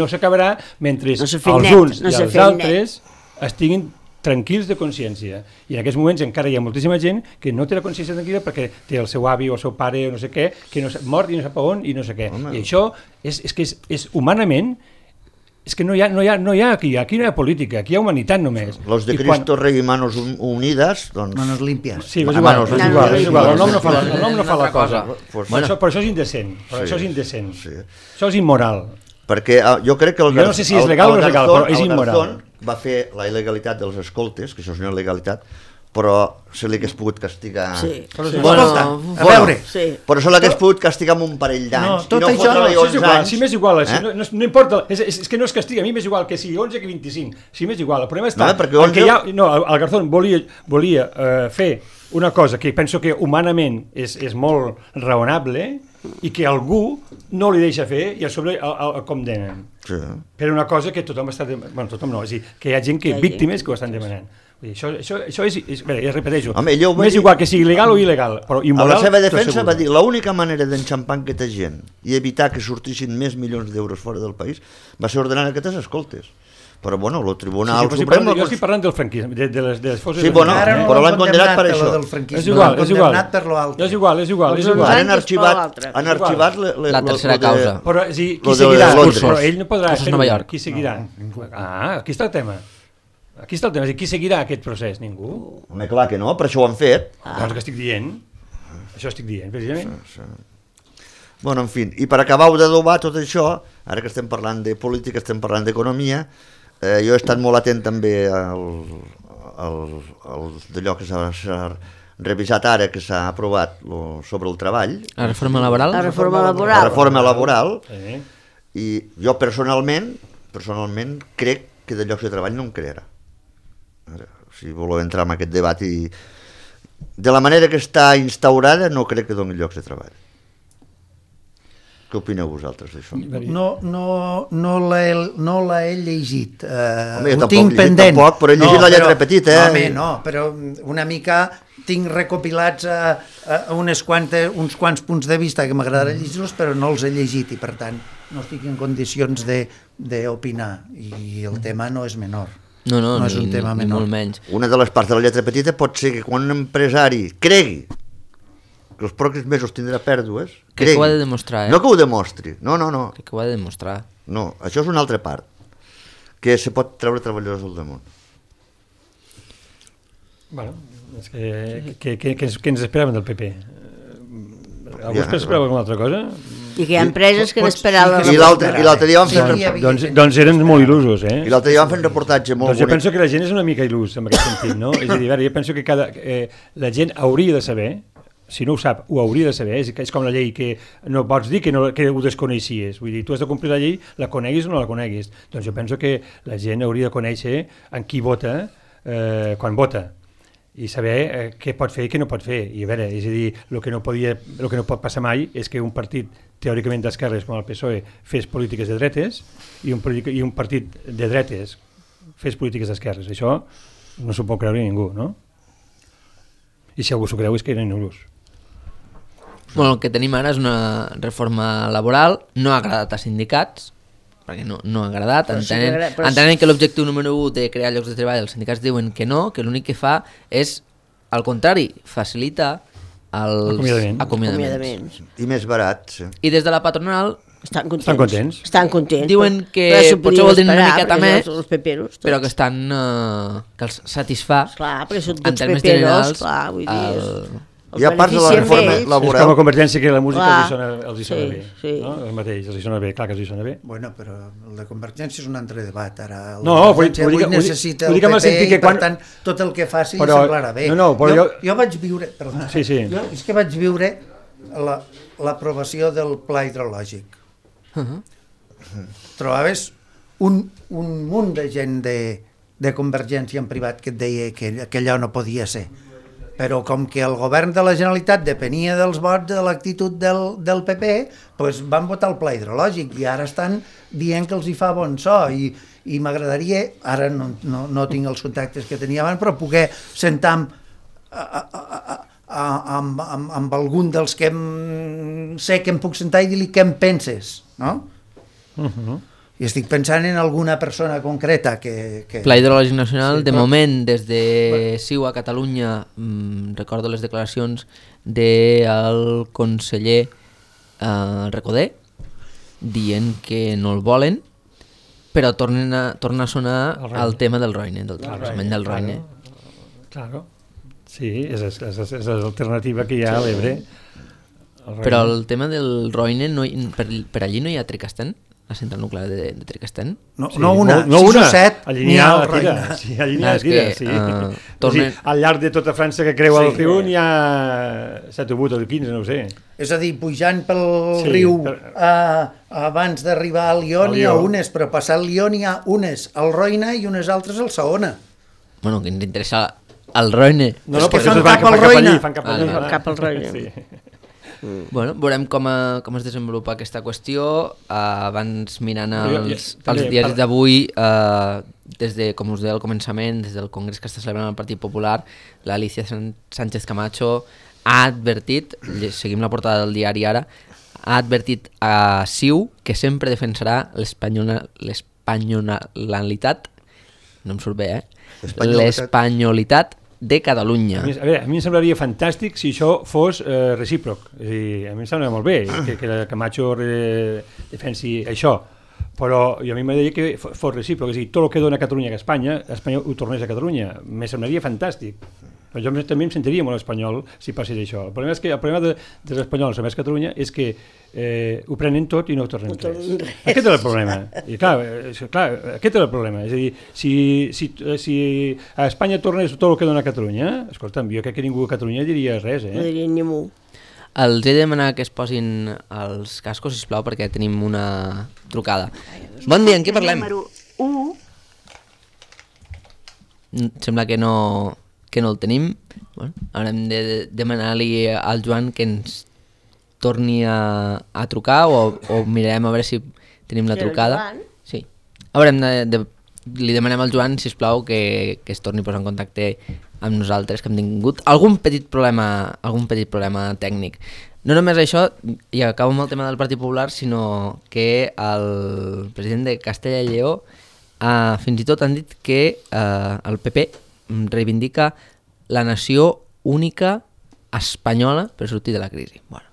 s'acabarà mentre No s'ha fet els net, uns no i s'ha els fet altres estiguin tranquils de consciència. I en aquests moments encara hi ha moltíssima gent que no té la consciència tranquil·la perquè té el seu avi o el seu pare o no sé què, que no sap, mort i no sap on i no sé què. Home. I això és, és que és, és humanament, és que no hi ha, no hi ha, no hi ha aquí, aquí no hi ha política, aquí hi ha humanitat només. Los de Cristo quan... Rey i Manos Unidas, doncs... Manos limpias. Sí, és igual, és igual, és igual, el nom no fa la, el nom no fa la cosa. Pues, bueno, això, però això és indecent, però sí, això és indecent, sí. Això és immoral. Perquè uh, jo crec que el, jo no sé si és legal o no és legal, però és immoral. Va fer la il·legalitat dels escoltes, que això és una il·legalitat, però se li hagués pogut castigar... Sí. Però, sí. Bueno, Escolta, a veure... Sí. Però se l'hagués pogut castigar amb un parell d'anys. No, tot no això... No, és igual, anys, si m'és igual, eh? si no, no, no importa, és, és, és que no es castiga, a mi m'és igual que sigui onze que vint-i-cinc, si m'és igual, el problema està... No, perquè onze... ha, no, el, el Garzón volia, volia uh, fer una cosa que penso que humanament és, és molt raonable i que algú no li deixa fer i a sobre el, el, el condemnen. Sí. Per una cosa que tothom està... De... Bueno, tothom no, és a dir, que hi ha gent que, víctimes que ho estan demanant. Això, això, això és, és bé, ja repeteixo, Home, m'és igual que sigui legal o il·legal, però immoral... A la seva defensa va dir, l'única manera d'enxampar aquesta gent i evitar que sortissin més milions d'euros fora del país va ser ordenar aquestes escoltes. Però bueno, el Tribunal sí, sí, Suprem... Parlant, jo estic parlant del franquisme, de, de, les, de les forces... Sí, bueno, no però l'han condemnat per això. És igual, és igual. És igual, és igual, és igual. Han arxivat, han arxivat le, le, la tercera causa. Però sí, qui seguirà? Però ell no podrà fer-ho. Qui seguirà? Ah, aquí està el tema. Aquí està el tema, qui seguirà aquest procés? Ningú? Home, clar que no, per això ho han fet. Ah. Doncs que estic dient, això estic dient, precisament. Sí, sí. Bueno, en fi, i per acabar d'adobar tot això, ara que estem parlant de política, estem parlant d'economia, eh, jo he estat molt atent també al, al, al d'allò que s'ha revisat ara, que s'ha aprovat lo, sobre el treball. La reforma laboral? La reforma laboral. La reforma laboral, sí. I jo personalment, personalment crec que de llocs de treball no en crearà. Si voleu entrar en aquest debat i de la manera que està instaurada no crec que doni llocs de treball. Què opineu vosaltres d'això? No, no, no l'he no he llegit, uh, home, ho tinc pendent. Tampoc, però he llegit no, la lletra però, petita. Eh? Home, no, però una mica tinc recopilats a, a unes quantes, uns quants punts de vista que m'agradarà llegir-los, però no els he llegit i per tant no estic en condicions d'opinar i el tema no és menor. No, no, no és ni, un tema ni, menor. Ni molt menys. Una de les parts de la lletra petita pot ser que quan un empresari cregui que els pròxims mesos tindrà pèrdues, crec que ho ha de demostrar, eh? No que ho demostri, no, no, no. Crec que ho ha de demostrar. No, això és una altra part, que se pot treure treballadors al damunt. Bueno, és que, que, que, que, ens, que ens esperaven del P P? Algú ja, esperava alguna altra cosa? I que hi ha empreses que n'esperaven... I l'altre dia van fer... Doncs, doncs, doncs eren molt il·lusos, eh? I l'altre dia van fer un reportatge molt doncs jo bonic. Penso que la gent és una mica il·lus en aquest sentit, no? És a dir, veure, jo penso que cada, eh, la gent hauria de saber, si no ho sap, ho hauria de saber, és, és com la llei que no pots dir que, no, que ho desconeixies, vull dir, tu has de complir la llei, la coneguis o no la coneguis. Doncs jo penso que la gent hauria de conèixer en qui vota eh, quan vota i saber eh, què pot fer i què no pot fer. I a veure, és a dir, el que no podia, el que no pot passar mai és que un partit teòricament d'esquerres com el P S O E fes polítiques de dretes i un, i un partit de dretes fes polítiques d'esquerres. Això no s'ho pot creure ningú, no? I si algú s'ho creu és que eren nulos. Bueno, el que tenim ara és una reforma laboral, no ha agradat a sindicats, perquè no, no ha agradat, entenent, sí que, entenent que l'objectiu número u de crear llocs de treball, els sindicats diuen que no, que l'únic que fa és, al contrari, facilita els acomiadaments. acomiadaments. I més barat, sí. I des de la patronal estan contents. Estan contents. Estan contents. Diuen que potser vol dir una miqueta més, els peperos, però que estan uh, que els satisfà clar, perquè són tots peperos, clar, vull dir... El... Hi ha part de la reforma laboral. És com a Convergència que la música els hi sona, els hi sona sí, bé. Sí. No? El mateix, els hi sona bé, clar que els hi sona bé. Bueno, però el de Convergència és un altre debat. Ara el no, vull dir que necessita el P P i per quan... tant tot el que faci però, semblarà bé. No, no, però jo, jo... jo vaig viure... Perdona, sí, sí. Jo, és que vaig viure l'aprovació la, del pla hidrològic. Uh -huh. Trobaves un, un munt de gent de, de Convergència en privat que et deia que, que allò no podia ser. Però com que el govern de la Generalitat depenia dels vots de l'actitud del, del P P, doncs van votar el pla hidrològic i ara estan dient que els hi fa bon so i, i m'agradaria, ara no, no, no tinc els contactes que tenia abans, però poder sentar amb, a, a, a, amb, amb, amb algun dels que em, sé que em puc sentar i dir-li què em penses, no? Uh-huh. I estic pensant en alguna persona concreta que... que... Pla Hidrològic Nacional, Sí, de però- moment, des de CiU a Catalunya, mm, recordo les declaracions del conseller eh, Recoder, dient que no el volen, però tornen a, torna a sonar El Roine. el tema del Roine, del transvasament del Roine. Claro. Sí, és, és, és, és l'alternativa que hi ha a l'Ebre. El Però Roine. el tema del Roine, no hi, per, per allí no hi ha Tricastent? La central nuclear de, de Tricastent? No, Sí, no una, no, no sis una. o set, Allí n'hi n'hi ha ha al la tira. Roine. Sí, allí n'hi Ah, ha és tira, que, sí. uh, O sigui, tornen- al llarg de tota França que creu Sí. el riu n'hi ha set o vuit o quinze, no ho sé. És a dir, pujant pel Sí, riu per- a, abans d'arribar al Lió Al n'hi ha Lió. unes, però passant el Lió n'hi ha unes al Roine i unes altres al Saona. Bueno, que ens interessa el Roine. No, És no, que perquè fan fan cap fan al cap allí, Roine. fan cap Ah, allí. no, fan- cap al Roine. Sí. Bueno, veurem com, a, com es desenvolupa aquesta qüestió. Uh, abans mirant Jo- jo- els, també els diaris per- d'avui, uh, des de, com us deia al començament, des del congrés que està celebrant el Partit Popular, l'Alicia San- Sánchez Camacho ha advertit, lle- seguim la portada del diari ara, ha advertit a CiU que sempre defensarà l'espanyola- l'espanyolitat, no em surt bé, eh? L'espanyolitat. L'espanyolitat de Catalunya. A mi, a, veure, a mi em semblaria fantàstic si això fos eh, recíproc. És a dir, a mi em sembla molt bé que, que la Camacho eh, defensi això, però jo a mi m'agradaria que fo- fos recíproc. És a dir, tot el que dona Catalunya a Espanya, Espanya ho tornés a Catalunya. Me semblaria fantàstic. Però jo també em sentiria molt espanyol si passés això. El problema és que el problema de, dels espanyols envers Catalunya és que eh, ho prenen tot i no ho tornen No tornen res. res. Aquest és el problema. I clar, eh, clar, aquest és el problema. És a dir, si, si, si a Espanya tornés tot el que dona Catalunya, escolta'm, jo crec que ningú a Catalunya diria res, No eh? diria ni mu. Els he de demanar que es posin els cascos, sisplau, perquè tenim una trucada. Bon dia, en què parlem? Número u. Mm, Sembla que no, que no el tenim. Bueno, haurem de demanar-li al Joan que ens torni a, a trucar o, o mirarem a veure si tenim la Sí, el trucada. Joan? Sí. Haurem de, de, li demanem al Joan, sisplau, que, que es torni a posar en contacte amb nosaltres, que hem tingut algun petit problema, algun petit problema tècnic. No només això, i acabo amb el tema del Partit Popular, sinó que el president de Castella i Lleó uh, fins i tot han dit que uh, el P P reivindica la nació única espanyola per sortir de la crisi. Bueno,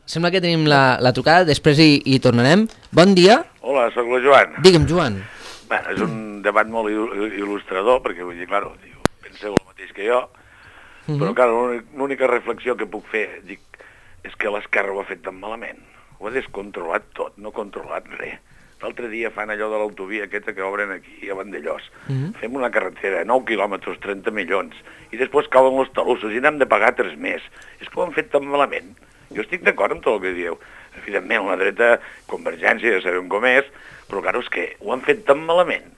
sembla que tenim la, la trucada, després hi, hi tornarem. Bon dia. Hola, sóc la Joan. Digue'm, Joan. Bueno, és un debat molt il- il·lustrador, perquè vull dir, claro, diu, penseu el mateix que jo, però, clar, l'únic- l'única reflexió que puc fer, dic, és que l'esquerra ho ha fet tan malament. Ho ha descontrolat tot, no ha controlat res. L'altre dia fan allò de l'autovia aquesta que obren aquí a Vandellós. Fem una carretera, nou quilòmetres, trenta milions, i després cauen els talussos i n'hem de pagar tres més. És que ho han fet tan malament. Jo estic d'acord amb tot el que dieu. Evidentment, la dreta, Convergència, ja sabem com és, però, clar, és que ho han fet tan malament.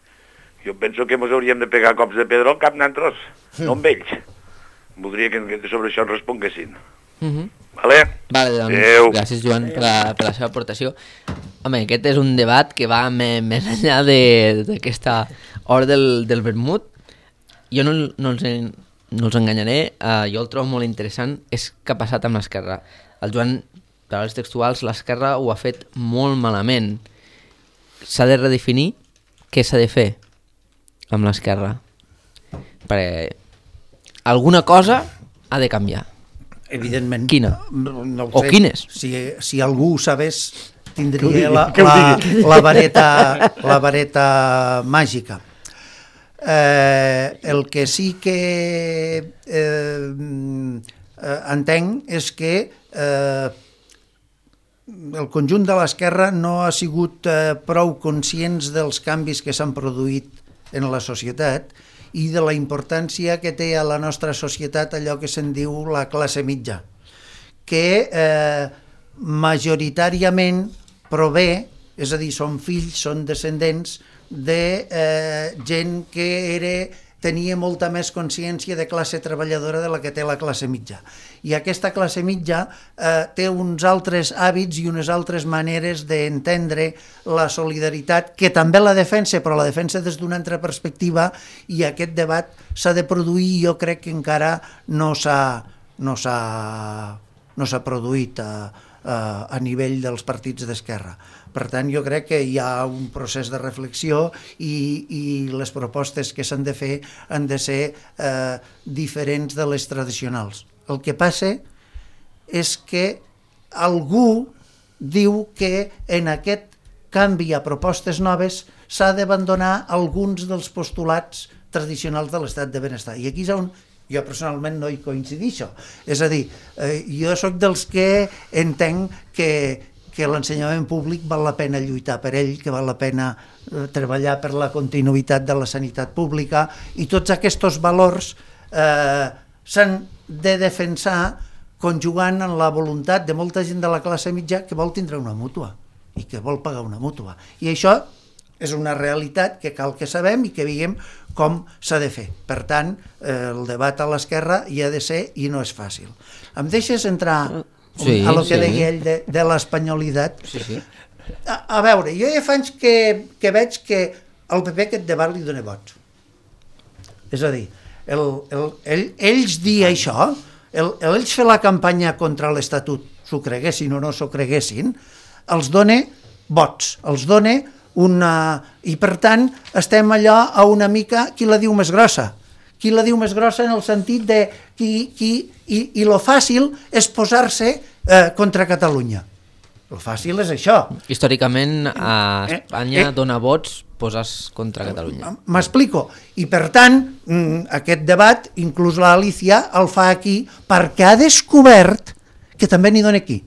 Jo penso que ens hauríem de pegar cops de pedra al cap nosaltres, no amb ells. Voldria que que sobre això ens responguessin. Uh -huh. Vale? Vale, doncs, Adéu. gràcies, Joan, per la, per la seva aportació. Home, aquest és un debat que va me, més enllà de- d'aquesta hora del, del vermut. Jo no, no, els, en- no els enganyaré, uh, jo el trobo molt interessant, és què ha passat amb l'esquerra. El Joan, paraules textuals, l'esquerra ho ha fet molt malament. S'ha de redefinir què s'ha de fer amb l'esquerra. Perquè alguna cosa ha de canviar. Evidentment. Quina? No, no ho O sé. quines? Si, si algú ho sabés, Que ho tindria digui, la, que ho la, digui. la, vareta, la vareta màgica. Eh, el que sí que eh, eh, entenc és que eh, el conjunt de l'esquerra no ha sigut eh, prou conscients dels canvis que s'han produït en la societat i de la importància que té a la nostra societat allò que se'n diu la classe mitja, que eh, majoritàriament prové, és a dir, són fills, són descendents de eh, gent que era, tenia molta més consciència de classe treballadora de la que té la classe mitja. I aquesta classe mitja eh, té uns altres hàbits i unes altres maneres d'entendre la solidaritat, que també la defensa, però la defensa des d'una altra perspectiva, i aquest debat s'ha de produir i jo crec que encara no s'ha no s'ha no s'ha produït a, a nivell dels partits d'esquerra. Per tant, jo crec que hi ha un procés de reflexió i, i les propostes que s'han de fer han de ser eh, diferents de les tradicionals. El que passa és que algú diu que en aquest canvi a propostes noves s'ha d'abandonar alguns dels postulats tradicionals de l'estat de benestar. I aquí és on jo personalment no hi coincidixo. És a dir, eh, jo sóc dels que entenc que, que l'ensenyament públic val la pena lluitar per ell, que val la pena eh, treballar per la continuïtat de la sanitat pública, i tots aquests valors eh, s'han de defensar conjugant en la voluntat de molta gent de la classe mitja que vol tindre una mútua i que vol pagar una mútua. I això és una realitat que cal que sabem i que veiem com s'ha de fer. Per tant, eh, el debat a l'esquerra hi ha de ser i no és fàcil. Em deixes entrar sí, a lo que sí. deia ell de, de l'espanyolitat? Sí, sí. A, a veure, jo ja fa anys que, que veig que al P P aquest debat li dona vots. És a dir, el, el, el, ells dir això, el, ells fer la campanya contra l'Estatut, s'ho creguessin o no s'ho creguessin, els dona vots, els dona una... I per tant estem allò a una mica qui la diu més grossa. Qui la diu més grossa en el sentit de qui, qui, i, i lo fàcil és posar-se eh, contra Catalunya. Lo fàcil és això. Històricament a Espanya eh, eh, dona vots posar-se contra Catalunya. M'explico. I per tant aquest debat, inclús l'Alicia, el fa aquí perquè ha descobert que també n'hi dona aquí.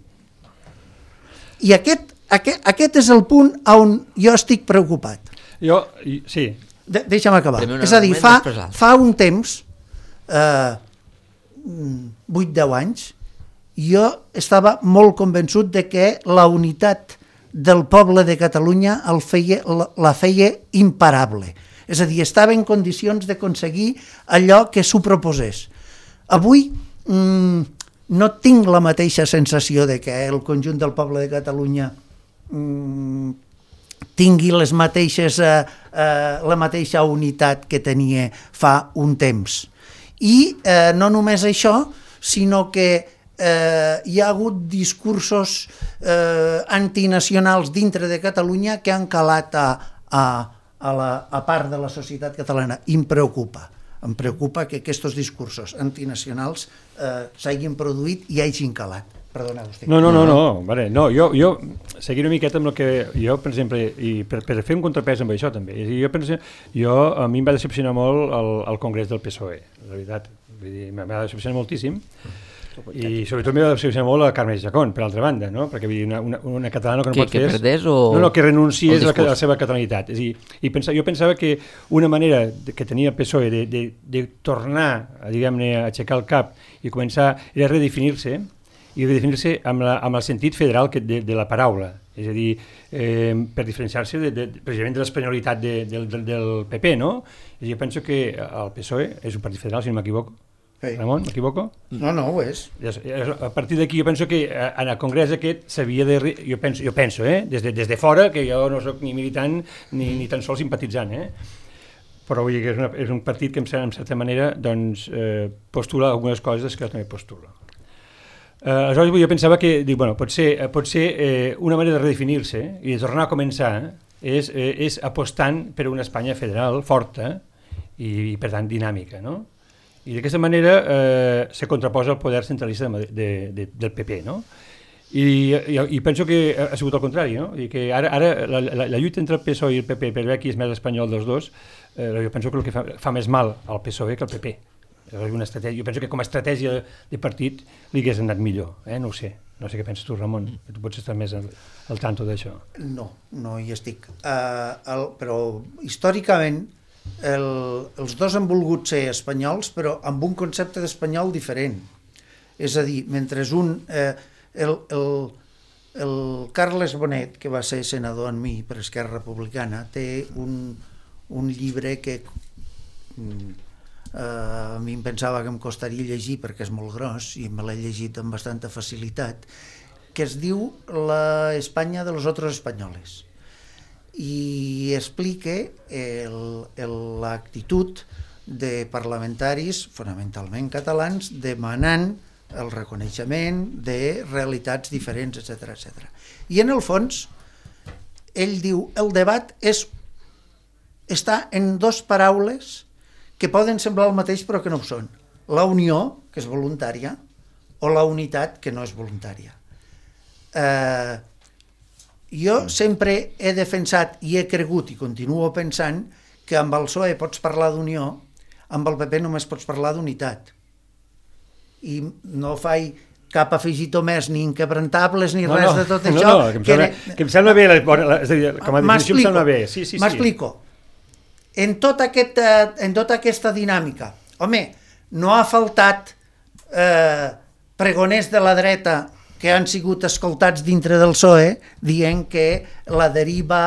I aquest Aquest, aquest és el punt on jo estic preocupat. Jo, sí. De, deixa'm acabar. És a dir, fa, fa un temps, eh, vuit deu anys, jo estava molt convençut de que la unitat del poble de Catalunya el feia, la, la feia imparable. És a dir, estava en condicions d'aconseguir allò que s'ho proposés. Avui mm, no tinc la mateixa sensació de que el conjunt del poble de Catalunya tingui les mateixes, eh, eh, la mateixa unitat que tenia fa un temps. I eh, no només això, sinó que eh, hi ha hagut discursos eh, antinacionals dintre de Catalunya que han calat a, a, a, la, a part de la societat catalana. I em preocupa. Em preocupa que aquests discursos antinacionals eh, s'hagin produït i hagin calat. Perdona, Agustí. No, no, no, no, vale. no jo, jo seguir una miqueta amb el que jo, per exemple, i per, per fer un contrapès amb això també, jo penso, jo, a mi em va decepcionar molt el, el Congrés del P S O E, la veritat, vull dir, m'ha decepcionat moltíssim, i sobretot m'ha decepcionat molt a Carme Chacón, per altra banda, no? Perquè vull dir, una, una, una catalana que no que, pot fer... Que perdés o... No, no, que renunciés a la, a la seva catalanitat. És a dir, i pensa, jo pensava que una manera que tenia el P S O E de, de, de tornar, a, diguem-ne, a aixecar el cap i començar, era redefinir-se, i redefinir-se amb, la, amb el sentit federal que de, de la paraula, és a dir, eh, per diferenciar-se de, de, precisament de l'espanyolitat de, de, de, del P P, no? Jo penso que el P S O E és un partit federal, si no m'equivoco. Hey. Ramon, m'equivoco? No, no, ho és. A partir d'aquí jo penso que en el congrés aquest s'havia de... Jo penso, jo penso eh? des, de, des de fora, que jo no soc ni militant ni, ni tan sols simpatitzant, eh? Però vull dir que és, una, és un partit que en certa manera doncs, eh, postula algunes coses que jo també postulo. Uh, aleshores jo pensava que dic, bueno, pot ser, pot ser eh, una manera de redefinir-se i de tornar a començar és, eh, és apostant per una Espanya federal forta i, i per tant dinàmica, no? I d'aquesta manera eh, se contraposa el poder centralista de, de, de, del P P, no? I, i, i penso que ha sigut el contrari, no? I que ara, ara la, la, la lluita entre el P S O E i el P P per veure qui és més espanyol dels dos, eh, jo penso que el que fa, fa més mal al P S O E que al P P. Una estratègia, jo penso que com a estratègia de partit li hagués anat millor, eh? No ho sé, no sé què penses tu, Ramon, que tu pots estar més al, al tanto d'això. No, no hi estic, uh, el, però històricament el, els dos han volgut ser espanyols, però amb un concepte d'espanyol diferent, és a dir, mentre un, eh, el, el, el Carles Bonet, que va ser senador en mi per Esquerra Republicana, té un, un llibre que... Mm, Uh, a mi em pensava que em costaria llegir perquè és molt gros i me l'he llegit amb bastanta facilitat, que es diu La Espanya de los otros españoles i explica l'actitud de parlamentaris fonamentalment catalans demanant el reconeixement de realitats diferents, etcètera, etcètera. I en el fons, ell diu, el debat és, està en dos paraules que poden semblar el mateix però que no ho són. La unió, que és voluntària, o la unitat, que no és voluntària. Eh, jo sempre he defensat i he cregut i continuo pensant que amb el P S O E pots parlar d'unió, amb el P P només pots parlar d'unitat. I no faig cap afegitó més, ni inquebrantables, ni no, res no, de tot no, això. No, que, em sembla, que, que em sembla bé, la, la, és a dir, com a definició em sembla bé. Sí, sí, sí. M'explico. En, tot aquest, en tota aquesta dinàmica, home, no ha faltat eh, pregoners de la dreta que han sigut escoltats dintre del P S O E dient que la deriva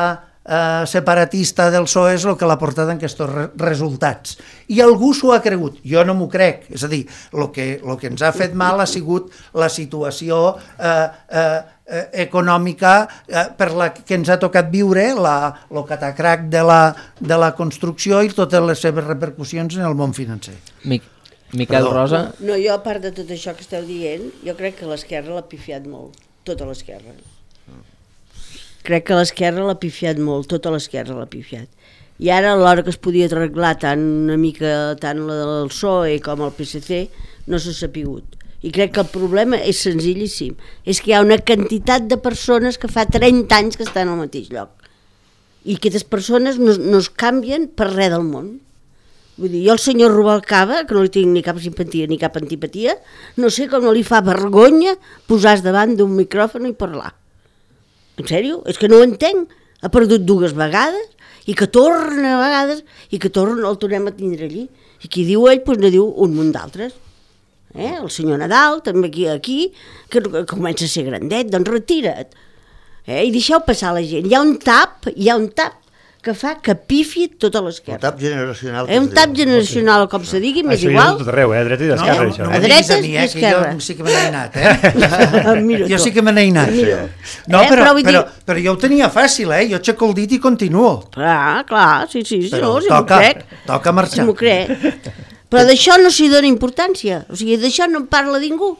eh, separatista del P S O E és el que l'ha portat en aquests re resultats. I algú s'ho ha cregut, jo no m'ho crec. És a dir, el que, lo que ens ha fet mal ha sigut la situació eh, eh, econòmica eh, per la que ens ha tocat viure, el catacrac de la, de la construcció i totes les seves repercussions en el món financer. Mic Miquel Perdó. Rosa. No, jo a part de tot això que esteu dient, jo crec que l'esquerra l'ha pifiat molt, tota l'esquerra. Crec que l'esquerra l'ha pifiat molt, tota l'esquerra l'ha pifiat. I ara, a l'hora que es podia arreglar tant una mica tant la del P S O E com el P S C, no s'ha sapigut. I crec que el problema és senzillíssim. És que hi ha una quantitat de persones que fa trenta anys que estan al mateix lloc. I aquestes persones no, no es canvien per res del món. Vull dir, jo el senyor Rubalcaba, que no li tinc ni cap simpatia ni cap antipatia, no sé com no li fa vergonya posar-se davant d'un micròfon i parlar. En sèrio? És que no ho entenc. Ha perdut dues vegades i que torna a vegades i que torna, el tornem a tindre allí. I qui diu ell, doncs no diu un munt d'altres. Eh? El senyor Nadal, també aquí, aquí que, que comença a ser grandet, doncs retira't. Eh? I deixeu passar la gent. Hi ha un tap, hi ha un tap que fa que pifi tota l'esquerra. Un tap generacional. Eh, un tap generacional, com se digui, m'és això igual. Això és tot arreu, eh? Dreta i No, d'esquerra, no, això. no A m'ho diguis dretes a mi, i eh, que esquerra. jo sí que me n'he anat, eh? Mira Jo tu. sí que me n'he anat. Mira. No, Eh, però, però vull dir- però, però jo ho tenia fàcil, eh? Jo aixeco el dit i continuo. Clar, clar, sí, sí, sí, Però no, si m'ho toca, crec. toca marxar. Si m'ho crec. Però d'això no s'hi dona importància. O sigui, d'això no en parla ningú.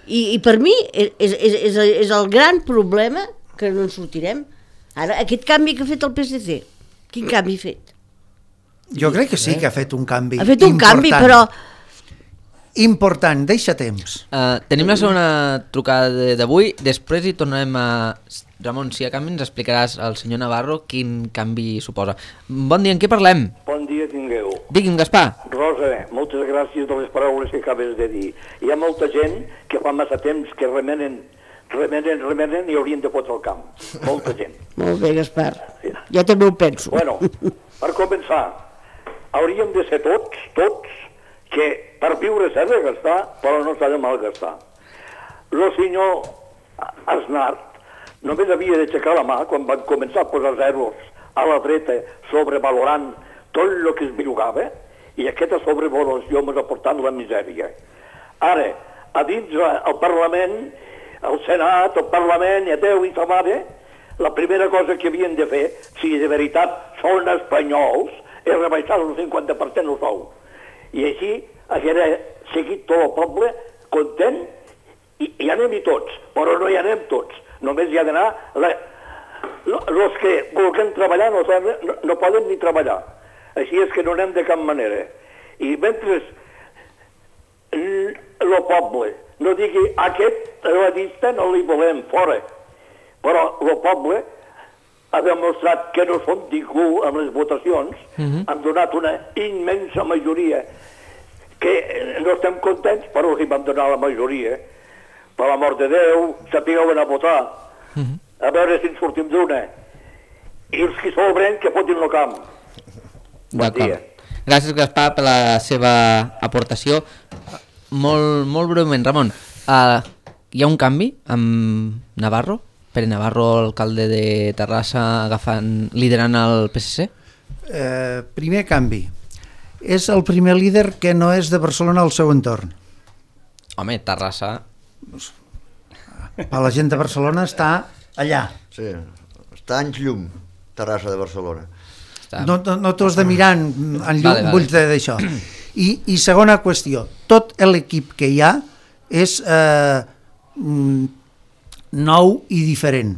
I, i per mi és, és, és, és el gran problema que no en sortirem. Ara, aquest canvi que ha fet el P S C, quin canvi ha fet? Jo crec que sí que ha fet un canvi Ha fet un important. canvi, però... Important, deixa temps. Uh, tenim la segona trucada d'avui, després hi tornarem a... Ramon, si a canvi ens explicaràs al senyor Navarro quin canvi suposa. Bon dia, en què parlem? Bon dia tingueu. Digui'm, Gaspar. Rosa, moltes gràcies de les paraules que acabes de dir. Hi ha molta gent que fa massa temps que remenen, remenen, remenen i haurien de fotre el camp. Molta gent. Molt bé, Gaspar. Jo també ho penso. Bueno, per començar, hauríem de ser tots, tots, que per viure s'ha de gastar, però no s'ha de malgastar. El senyor Aznar només havia d'aixecar la mà quan van començar a posar zeros a la dreta sobrevalorant tot el que es bellugava i aquesta sobrevaloració ens ha portat la misèria. Ara, a dins el Parlament, el Senat, el Parlament i a Déu i sa mare, la primera cosa que havien de fer, si de veritat són espanyols, és rebaixar el cinquanta per cent el sou. I així haguera seguit tot el poble content i hi anem-hi tots, però no hi anem tots. Només hi ha d'anar... Els que vulguem treballar no, no, no poden ni treballar. Així és que no anem de cap manera. I mentre el poble no digui aquest radista no li volem fora, però el poble ha demostrat que no som ningú amb les votacions, uh-huh. han donat una immensa majoria que no estem contents, però hi vam donar la majoria. Per l'amor de Déu, sapigueu anar a votar, uh-huh. a veure si en sortim d'una. I els que sobren, que fotin el camp. Bon dia. Gràcies, Gaspar, per la seva aportació. Molt, molt breument, Ramon, uh, hi ha un canvi amb Navarro? Pere Navarro, alcalde de Terrassa, agafant, liderant el P S C? Eh, primer canvi. És el primer líder que no és de Barcelona al seu entorn. Home, Terrassa... A la gent de Barcelona està allà. Sí, està anys llum, Terrassa de Barcelona. Està... No, no, no t'ho has de mirar en, en llum, vale, vale. vull dir d'això. I, I segona qüestió, tot l'equip que hi ha és eh, nou i diferent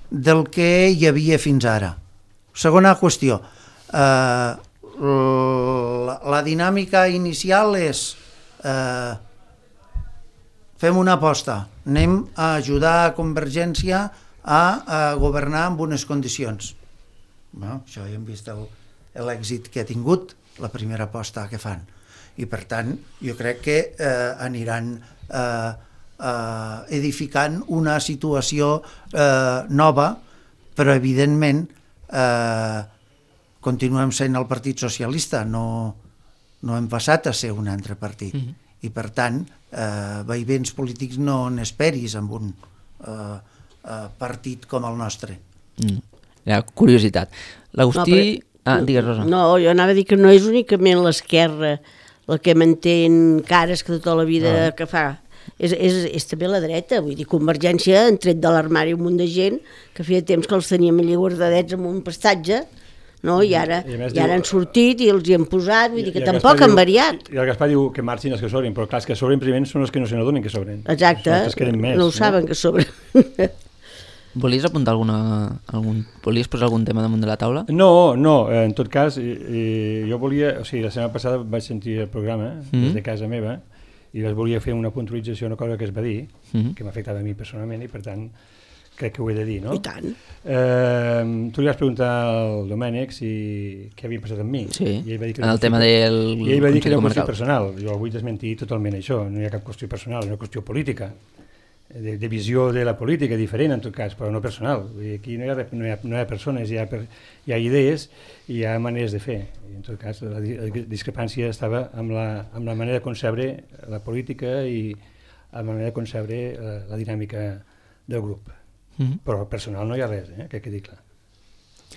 del que hi havia fins ara. Segona qüestió, eh, la, la dinàmica inicial és eh, fem una aposta, anem a ajudar a Convergència a, a governar amb unes condicions. Bueno, això ja hem vist l'èxit que ha tingut, la primera aposta que fan. I per tant, jo crec que eh, aniran eh, eh, edificant una situació eh, nova, però evidentment eh, continuem sent el Partit Socialista, no, no hem passat a ser un altre partit. Mm-hmm. I per tant, eh, vaivents polítics no n'esperis amb un eh, eh, partit com el nostre. Mm. Ja, curiositat. L'Agustí... No, però... Ah, digues, Rosa. No, jo anava a dir que no és únicament l'esquerra la que mantén cares que tota la vida no. que fa... És, és, és també la dreta, vull dir, Convergència han tret de l'armari un munt de gent que feia temps que els teníem allà guardadets amb un prestatge, no? I ara, I i ara diu, han sortit i els hi han posat, vull dir que tampoc han variat. I el Gaspar diu que marxin els que sobren, però clar, els que sobren primer són els que no se n'adonen que sobren. Exacte, més, no ho saben no? que sobren. Volies apuntar alguna, algun, volies posar algun tema damunt de la taula? No, no, en tot cas, eh, jo volia, o sigui, la setmana passada vaig sentir el programa mm-hmm. des de casa meva i les volia fer una puntualització, una cosa que es va dir, mm-hmm. que m'afectava a mi personalment i per tant crec que ho he de dir, no? I tant. Eh, tu li vas preguntar al Domènec si què havia passat amb mi. Sí, i ell va dir que en el tema del I ell va dir que era una qüestió personal. Jo vull desmentir totalment això, no hi ha cap qüestió personal, és una qüestió política. De, de visió de la política diferent en tot cas, però no personal. Vull dir, aquí no hi, ha, no, hi ha, no hi ha persones, hi ha, per, hi ha idees i hi ha maneres de fer. I en tot cas la, la discrepància estava amb la, amb la manera de concebre la política i amb la manera de concebre la, la dinàmica del grup. Mm-hmm. Però personal no hi ha res, eh? Que quedi clar.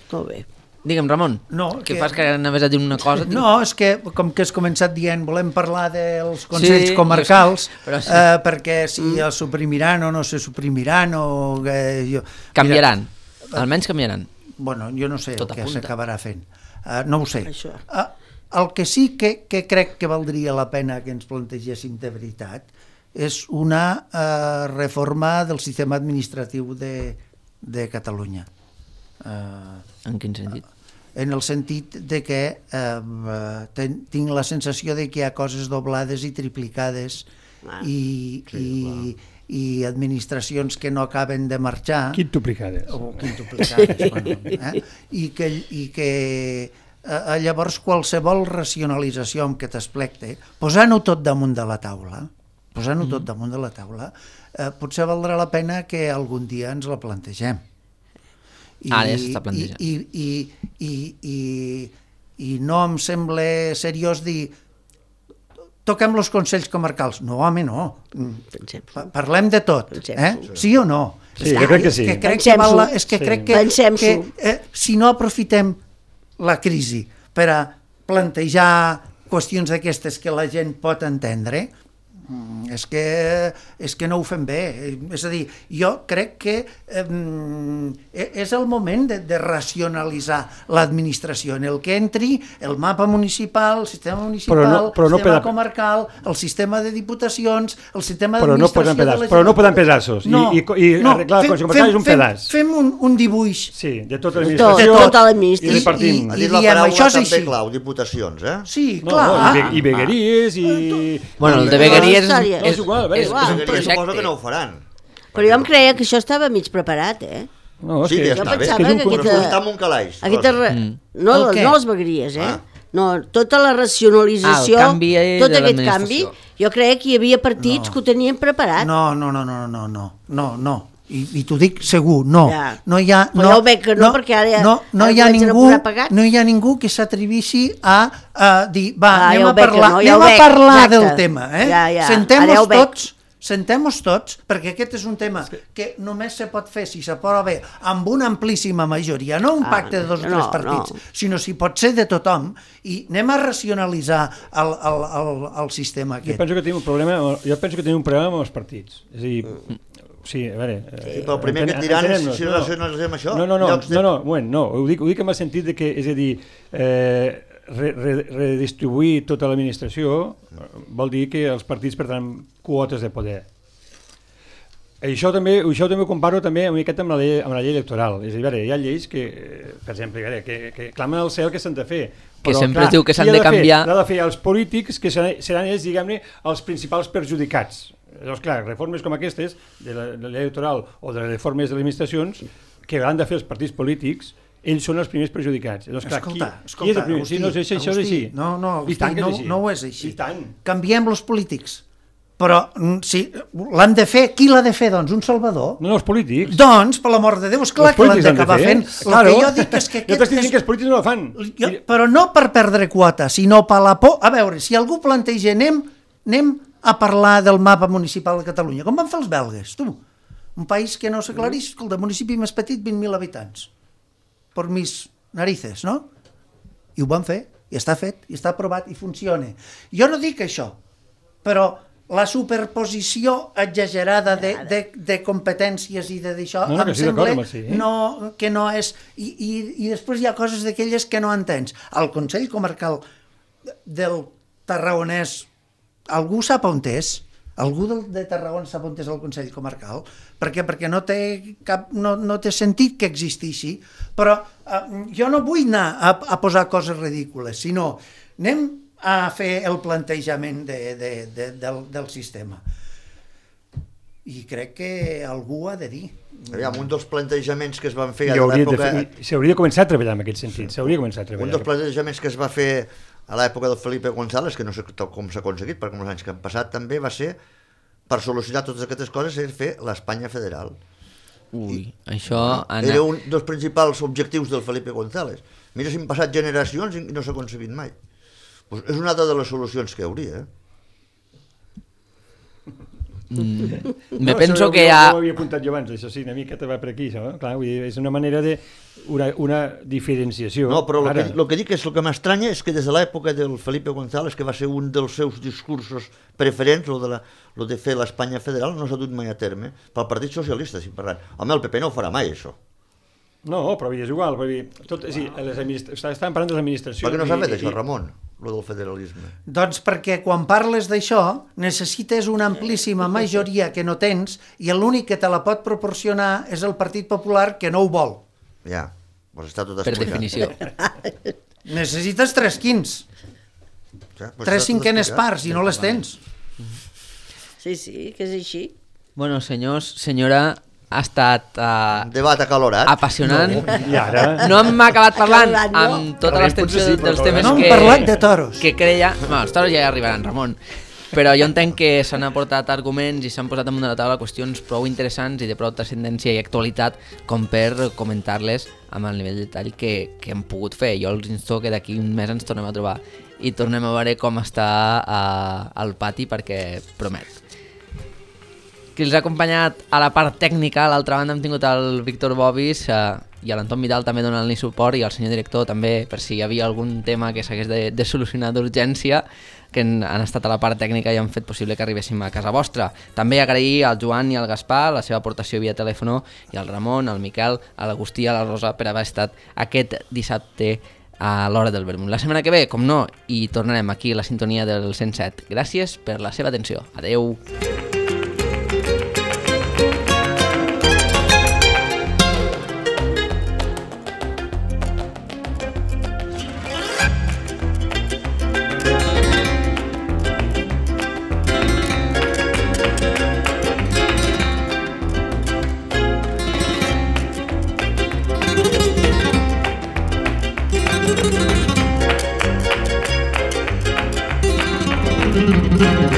Molt bé. Digue'm, Ramon, no, que, que fas que anaves a dir una cosa? No, és que com que has començat dient volem parlar dels consells sí, comarcals, sí. eh, perquè si mm. els suprimiran o no se suprimiran o... Eh, jo, canviaran, mira, almenys canviaran. Bueno, jo no sé Tot el que apunta. s'acabarà fent, uh, no ho sé. Uh, el que sí que, que crec que valdria la pena que ens plantegéssim de veritat és una uh, reforma del sistema administratiu de, de Catalunya. Uh, en quin sentit? En el sentit de que eh, ten, tinc la sensació de que hi ha coses doblades i triplicades ah, i, sí, i, i administracions que no acaben de marxar. Quintuplicades. O quintuplicades, bueno, eh? I que, i que eh, llavors qualsevol racionalització amb què t'esplecte, posant-ho tot damunt de la taula, posant-ho mm. tot damunt de la taula, eh, potser valdrà la pena que algun dia ens la plantegem. I, Ara ja s'està plantejant. I, i, i, i, i no em sembla seriós dir toquem els consells comarcals. No, home, no. Pa parlem de tot. Eh? Sí o no? Sí, jo crec que sí. Que crec que val la, és que sí. crec que, que eh, si no aprofitem la crisi per a plantejar qüestions d'aquestes que la gent pot entendre, és que, és que no ho fem bé. És a dir, jo crec que eh, és el moment de, de racionalitzar l'administració en el que entri el mapa municipal, el sistema municipal, però no, però no el sistema peda... comarcal, el sistema de diputacions, el sistema d'administració de la gent. Però no poden pedaços. No, I, i, i no, arreglar el Consell Comarcal és un fem, pedaç. Fem un, un dibuix. Sí, de tota l'administració. De tota l'administració. I repartim. Ha dit la paraula això és també així. Clau, diputacions, eh? Sí, no, clar. No, i, i vegueries i... Bueno, el de vegueries és, és, igual, és, és un projecte. Suposo que no ho faran. Però jo em creia que això estava mig preparat, eh? No, sí, que ja està bé. Que és un aquesta, està amb un calaix. Aquesta, mm. no, no les vegueries, eh? Ah. No, tota la racionalització, ah, tot aquest canvi, jo creia que hi havia partits no. que ho tenien preparat. No, no, no, no, no, no, no, no. I, i t'ho dic segur, no. Ja. No hi ha, no, ja ho veig que no, no perquè ara, no, no, ara hi ha ningú, no hi ha ningú que s'atrevissi a, a dir, va, ah, anem, ja a parlar, no, ja anem a parlar exacte. del tema, eh? Ja, ja. Sentem-nos ja tots, sentem-nos tots, perquè aquest és un tema que només se pot fer si s'aprova bé amb una amplíssima majoria, no un pacte ah, de dos o no, tres partits, no. sinó si pot ser de tothom, i anem a racionalitzar el, el, el, el sistema aquest. Jo penso que tenim un problema, jo penso que tenim un problema amb els partits, és a dir... Sí, a veure... Sí, però el primer que et diran és si no racionalitzem això. No, no, no, no, no, bueno, no, ho dic, ho dic en el sentit de que, és a dir, eh, re, re, redistribuir tota l'administració vol dir que els partits perdran quotes de poder. Això també, això també ho comparo també una miqueta amb la llei, amb la llei electoral. És a dir, veure, hi ha lleis que, per exemple, veure, que, que clamen al cel que s'han de fer. Que però, sempre clar, es diu que s'han de, de canviar. L'ha de fer els polítics, que seran, seran ells, diguem-ne, els principals perjudicats. Llavors, clar, reformes com aquestes, de la, de la llei electoral o de les reformes de les administracions, que han de fer els partits polítics, ells són els primers perjudicats. Llavors, clar, escolta, qui, escolta, qui és el primer? Agustí, Sí, no, és així, això és així. No, no, Agustí, no, no ho és així. I tant. Canviem els polítics. Però si l'han de fer, qui l'ha de fer, doncs? Un salvador? No, no, els polítics. Doncs, per l'amor de Déu, esclar que l'han d'acabar fent. El claro. que jo dic és que... Jo t'estic dient que els polítics no la fan. Jo, però no per perdre quota, sinó per la por... A veure, si algú planteja, anem, anem a parlar del mapa municipal de Catalunya, com van fer els belgues, tu? Un país que no s'aclarís, el municipi més petit, vint mil habitants. Per mis narices, no? I ho van fer, i està fet, i està aprovat, i funciona. Jo no dic això, però la superposició exagerada de, de, de competències i de d'això no, no, em sembla sí, eh? no, que no és... I, i, I després hi ha coses d'aquelles que no entens. El Consell Comarcal del Tarragonès, algú sap on és? Algú del, de Tarragona sap on és el Consell Comarcal? Per què? Perquè no té, cap, no, no té sentit que existeixi. Però eh, jo no vull anar a, a posar coses ridícules, sinó anem a fer el plantejament de, de, de, del, del sistema. I crec que algú ha de dir. Aviam, un dels plantejaments que es van fer a l'època... S'hauria de començar a treballar en aquest sentit, s'hauria de començar a treballar. Un dels plantejaments que es va fer a l'època del Felipe González, que no sé com s'ha aconseguit, perquè els anys que han passat també va ser, per solucionar totes aquestes coses, és fer l'Espanya federal. Ui, I, això... Ana... Era un dels principals objectius del Felipe González. Mira si han passat generacions i no s'ha aconseguit mai. Pues és una altra de les solucions que hi hauria, eh? Mm. Me no, penso jo, que jo, ja... Jo ho havia apuntat jo abans, això sí, una mica te va per aquí, això, eh? Clar, vull dir, és una manera de... Una, una diferenciació. No, però el Ara... que, el que dic és el que m'estranya és que des de l'època del Felipe González, que va ser un dels seus discursos preferents, lo de, la, lo de fer l'Espanya federal, no s'ha dut mai a terme. Pel Partit Socialista, si parlant. Home, el P P no ho farà mai, això. No, però és igual, perquè tot, és dir, les administra... estàvem parlant de les administracions... Per què no s'ha fet i, això, i... Ramon, lo del federalisme? Doncs perquè quan parles d'això necessites una amplíssima majoria que no tens i l'únic que te la pot proporcionar és el Partit Popular que no ho vol. Ja, doncs està tot per explicat. definició. Necessites tres quints, ja, doncs tres cinquenes parts i no les tens. Sí, sí, que és així. Bueno, senyors, senyora... ha estat uh, debat acalorat, apassionant. No, i ara... no hem acabat parlant Acalorat, no? amb tota l'extensió Sí, dels però temes no que... hem parlat de toros. Que creia... No, els toros ja hi arribaran, Ramon. Però jo entenc que s'han aportat arguments i s'han posat damunt de la taula qüestions prou interessants i de prou transcendència i actualitat com per comentar-les amb el nivell de detall que, que hem pogut fer. Jo els insto que d'aquí un mes ens tornem a trobar i tornem a veure com està uh, al pati, perquè promet. Qui els ha acompanyat a la part tècnica, a l'altra banda hem tingut el Víctor Bobis eh, i l'Anton Vidal també donant-li suport, i el senyor director també, per si hi havia algun tema que s'hagués de, de solucionar d'urgència, que han, han estat a la part tècnica i han fet possible que arribéssim a casa vostra. També agrair al Joan i al Gaspar la seva aportació via telèfon, i al Ramon, al Miquel, a l'Agustí i a la Rosa per haver estat aquest dissabte a l'hora del vermut. La setmana que ve, com no, i tornarem aquí a la sintonia del cent set. Gràcies per la seva atenció. Adeu. Thank you.